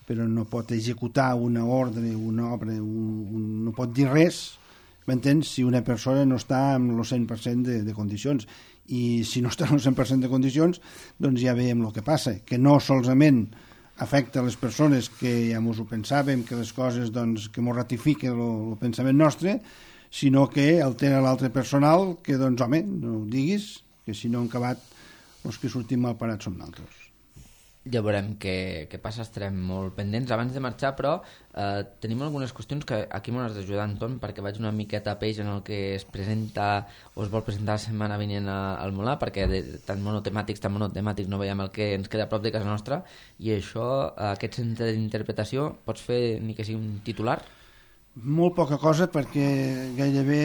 però no pot executar una ordre, una obra, un, un, no pot dir res, m'entens, si una persona no està amb el cent per cent de, de condicions. I si no està amb el cent per cent de condicions, doncs ja veiem el que passa, que no solament afecta les persones que ja mos ho pensàvem, que les coses doncs, que mos ratifica el pensament nostre, sinó que altera l'altre personal, que doncs home, no ho diguis, que si no han acabat els que sortim mal parats som nosaltres. Ja veurem què, què passa, estarem molt pendents. Abans de marxar, però, eh, tenim algunes qüestions que aquí m'ho has d'ajudar, Anton, perquè vaig una miqueta a peix en el que es presenta o es vol presentar la setmana vinent a- al Molar, perquè de, tant monotemàtics, tant monotemàtics no veiem el que ens queda a prop de casa nostra, i això, aquest centre d'interpretació, pots fer ni que sigui un titular? Molt poca cosa perquè gairebé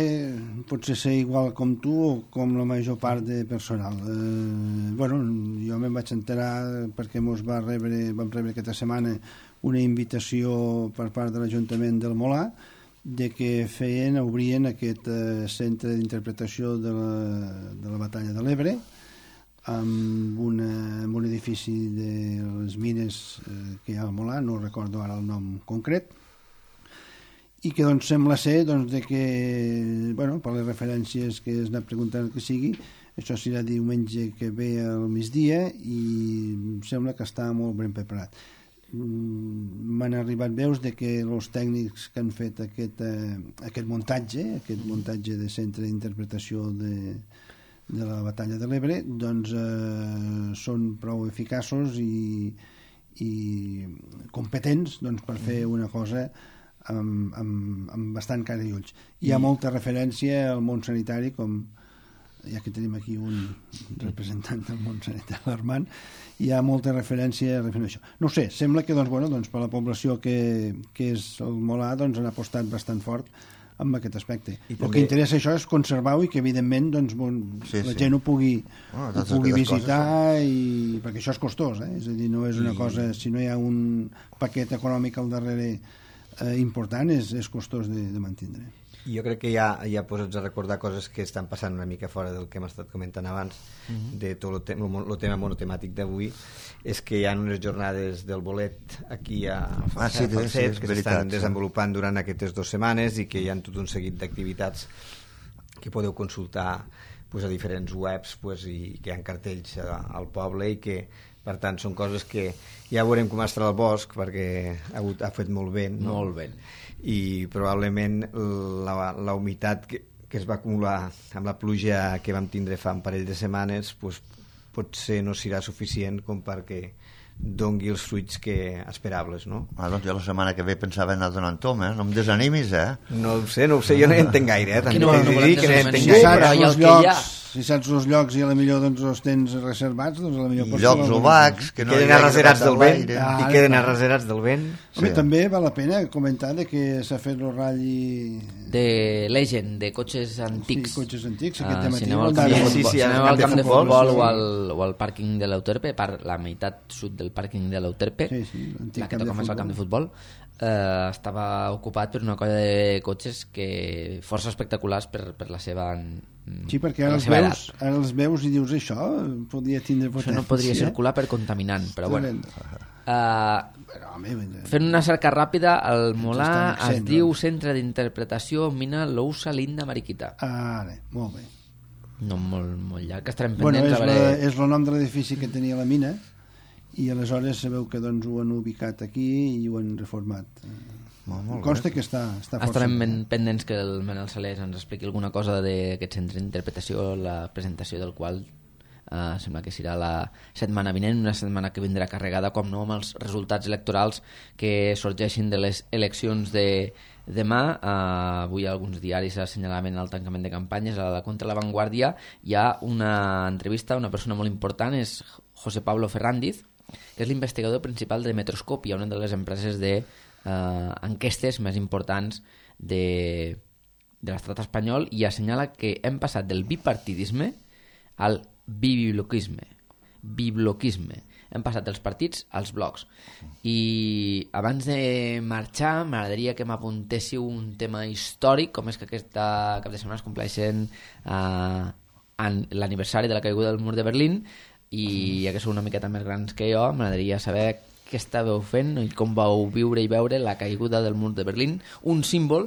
potser ser igual com tu o com la major part de personal. Eh, bueno, jo me'n vaig enterar perquè mos va rebre, vam rebre aquesta setmana una invitació per part de l'Ajuntament del Molar de que feien, obrien aquest eh, centre d'interpretació de, la, de la batalla de l'Ebre amb, una, amb un edifici de les mines eh, que hi ha al Molar, no recordo ara el nom concret, i que doncs sembla ser doncs, de que, bueno, per les referències que es anat preguntant que sigui, això serà diumenge que ve al migdia i sembla que està molt ben preparat. M'han arribat veus de que els tècnics que han fet aquest, eh, aquest muntatge, aquest muntatge de centre d'interpretació de, de la batalla de l'Ebre, doncs eh, són prou eficaços i, i competents doncs, per fer una cosa amb, amb, amb bastant cara i ulls. Hi ha molta referència al món sanitari, com, ja que tenim aquí un representant del món sanitari, l'Armand, hi ha molta referència a això. No ho sé, sembla que doncs, bueno, doncs, per la població que, que és el Molar doncs, han apostat bastant fort amb aquest aspecte. I el també... que interessa això és conservar-ho i que evidentment doncs, bon, sí, la sí. gent ho pugui, oh, ho pugui visitar coses, i... perquè això és costós, eh? És a dir, no és una I... cosa, si no hi ha un paquet econòmic al darrere eh, important, és, és costós de, de mantenir. Jo crec que ja, ja posats a recordar coses que estan passant una mica fora del que hem estat comentant abans, uh-huh. de tot el, te el tema monotemàtic d'avui, és que hi ha unes jornades del bolet aquí a, ah, sí, a Falset, sí, que s'estan sí. desenvolupant durant aquestes dues setmanes i que hi ha tot un seguit d'activitats que podeu consultar pues, a diferents webs pues, i que hi ha cartells a, al poble i que per tant són coses que ja veurem com estarà el bosc perquè ha, hagut, ha fet molt vent, no? Molt vent. I probablement la, la humitat que, que es va acumular amb la pluja que vam tindre fa un parell de setmanes pues, potser no serà suficient com perquè dongui els fruits que esperables, no? Ah, doncs jo la setmana que ve pensava anar donant tom, eh? No em desanimis, eh? No ho sé, no ho sé, jo no hi entenc gaire, eh? També no, no, no, que no hi entenc si gaire. saps els llocs, si saps els llocs i a la millor doncs, els tens reservats, doncs a la millor I llocs obacs, que no queden arraserats del vent, ah, i queden arraserats del vent. Home, sí. També val la pena comentar de que s'ha fet el ratll de Legend, de cotxes antics. Sí, cotxes antics, aquest uh, matí. Si aneu al camp, sí, sí, sí, si aneu al camp de futbol, futbol sí. o, al, o al pàrquing de l'Euterpe, per la meitat sud del pàrquing de l'Euterpe, sí, sí, la que toca més al camp de futbol, eh, estava ocupat per una colla de cotxes que força espectaculars per, per la seva Sí, perquè ara els, veus, ara els veus i dius això podria tindre potència. Això no podria circular per contaminant, però bueno. Uh, però, home, fent una cerca ràpida, el Molar es accent, diu no? Centre d'Interpretació Mina Lousa Linda Mariquita. Ah, bé, molt bé. No, molt, molt llarg, estarem bueno, pendents. És, a veure... la, és el nom de l'edifici que tenia la mina i aleshores sabeu que doncs, ho han ubicat aquí i ho han reformat. Oh, consta que està, està força... Estarem pendents que el Manel Salés ens expliqui alguna cosa d'aquest centre d'interpretació, la presentació del qual eh, sembla que serà la setmana vinent, una setmana que vindrà carregada, com no, amb els resultats electorals que sorgeixin de les eleccions de demà. Eh, avui alguns diaris assenyalaven el tancament de campanyes. A la contra la Vanguardia hi ha una entrevista, una persona molt important, és José Pablo Ferrandiz, que és l'investigador principal de Metroscopia, una de les empreses de Uh, enquestes més importants de, de l'estat espanyol, i assenyala que hem passat del bipartidisme al bibloquisme bibloquisme hem passat dels partits als blocs. I abans de marxar m'agradaria que m'apuntéssiu un tema històric, com és que aquesta cap de setmana es compleixen uh, l'aniversari de la caiguda del mur de Berlín, i ja que sou una miqueta més grans que jo, m'agradaria saber què estàveu fent i com vau viure i veure la caiguda del mur de Berlín, un símbol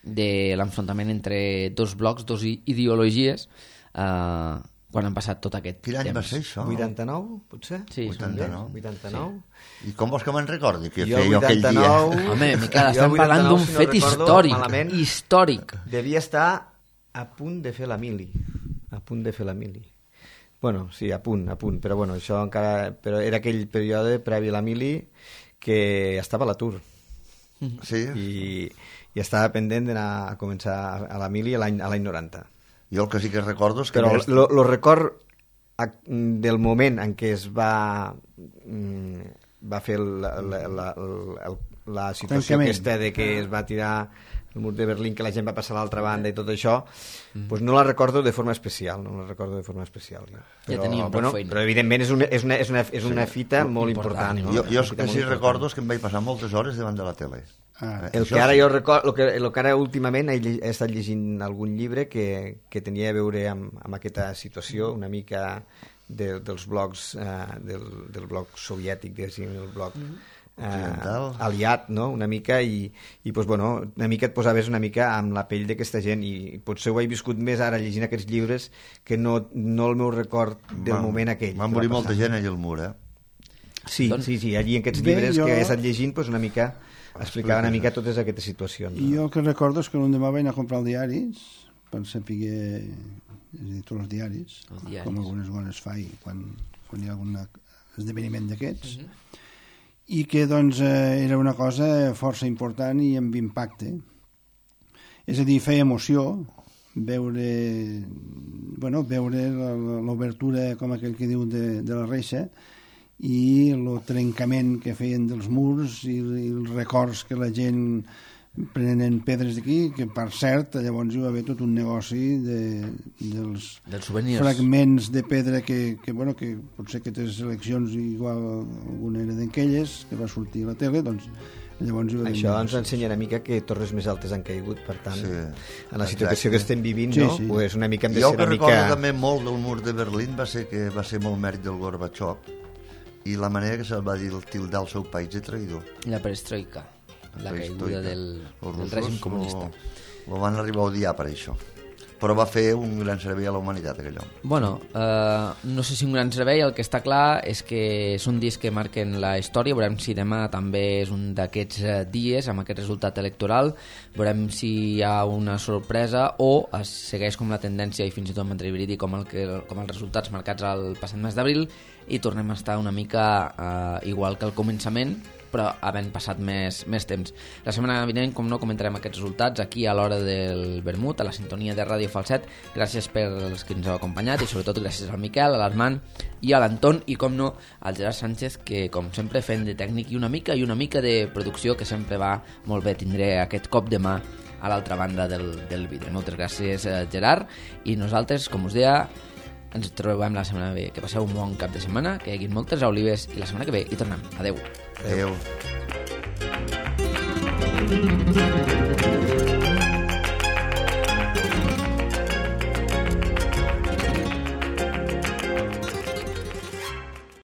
de l'enfrontament entre dos blocs, dos ideologies, eh, quan han passat tot aquest Quin any temps. va ser això? vuitanta-nou, potser? Sí, vuitanta-nou. vuitanta-nou. Sí. I com vols que me'n recordi que jo feia jo aquell dia? Home, Miquel, estem parlant d'un si fet no històric. Malament, històric. Devia estar a punt de fer la mili. A punt de fer la mili. Bueno, sí, a punt, a punt, però bueno, això encara... Però era aquell període previ a la mili que estava a l'atur. Sí. I, i estava pendent d'anar a començar a la mili a l'any a l'any noranta. Jo el que sí que recordo és que... Però el lo, lo record del moment en què es va va fer la, la, la, la, la situació aquesta de que es va tirar el mur de Berlín, que la gent va passar a l'altra banda i tot això, mm. pues no la recordo de forma especial, no la recordo de forma especial. Però, ja teníem bueno, però evidentment és una, és una, és una, és una fita sí, molt important. important no? Jo, jo el que sí recordo és que em vaig passar moltes hores davant de la tele. Ah, el que ara jo recordo, el que, el que ara últimament he, he estat llegint algun llibre que, que tenia a veure amb, amb aquesta situació, una mica de, dels blocs, eh, del, del bloc soviètic, diguéssim, el bloc... Mm. Uh, aliat, no? Una mica i, i pues, bueno, una mica et posaves una mica amb la pell d'aquesta gent i potser ho he viscut més ara llegint aquests llibres que no, no el meu record del va, moment aquell. Va morir molta gent allà al mur, eh? Sí, doncs, sí, sí, allí en aquests bé, llibres jo... que he estat llegint pues, una mica explicava una mica totes aquestes situacions. No? Jo el que recordo és que l'endemà vaig anar a comprar els diaris per saber, és a dir, tots els diaris, els diaris. Com algunes bones fai quan, quan hi ha algun esdeveniment d'aquests. Uh-huh. I que doncs eh, era una cosa força important i amb impacte. És a dir, feia emoció veure, bueno, veure l'obertura, com aquell que diu, de, de la reixa, i el trencament que feien dels murs i, i els records que la gent prenen pedres d'aquí, que per cert llavors hi va haver tot un negoci de, dels, dels souvenirs, fragments de pedra que, que, bueno, que potser que aquestes eleccions igual alguna era d'aquelles que va sortir a la tele, doncs llavors hi va haver això negocis. ens ensenya una mica que torres més altes han caigut, per tant Sí, en la situació exacte. que estem vivint, Sí, no? sí. Pues una mica hem de Jo ser que una recordo mica... també molt del mur de Berlín va ser que va ser molt mèrit del Gorbachev i la manera que se'l va dir el tildar el seu país de traïdor. la perestroika, la caiguda del, del règim comunista. Lo van arribar a odiar per això, però va fer un gran servei a la humanitat aquell home. Bueno, eh, no sé si un gran servei, el que està clar és que són dies que marquen la història, veurem si demà també és un d'aquests eh, dies amb aquest resultat electoral, veurem si hi ha una sorpresa o es segueix com la tendència i fins i tot m'atreviria com, el que, com els resultats marcats al passat mes d'abril i tornem a estar una mica eh, igual que al començament, però havent passat més, més temps. La setmana vinent, com no, comentarem aquests resultats aquí a l'hora del vermut, a la sintonia de Ràdio Falset. Gràcies per els que ens heu acompanyat i sobretot gràcies al Miquel, a l'Armand i a l'Anton i, com no, al Gerard Sánchez, que com sempre fent de tècnic i una mica i una mica de producció, que sempre va molt bé. Tindré aquest cop de mà a l'altra banda del, del vidre. Moltes gràcies, Gerard, i nosaltres, com us deia, ens trobem la setmana que ve. Que passeu un bon cap de setmana, que hi hagi moltes olives i la setmana que ve hi tornem. Adeu. Adéu.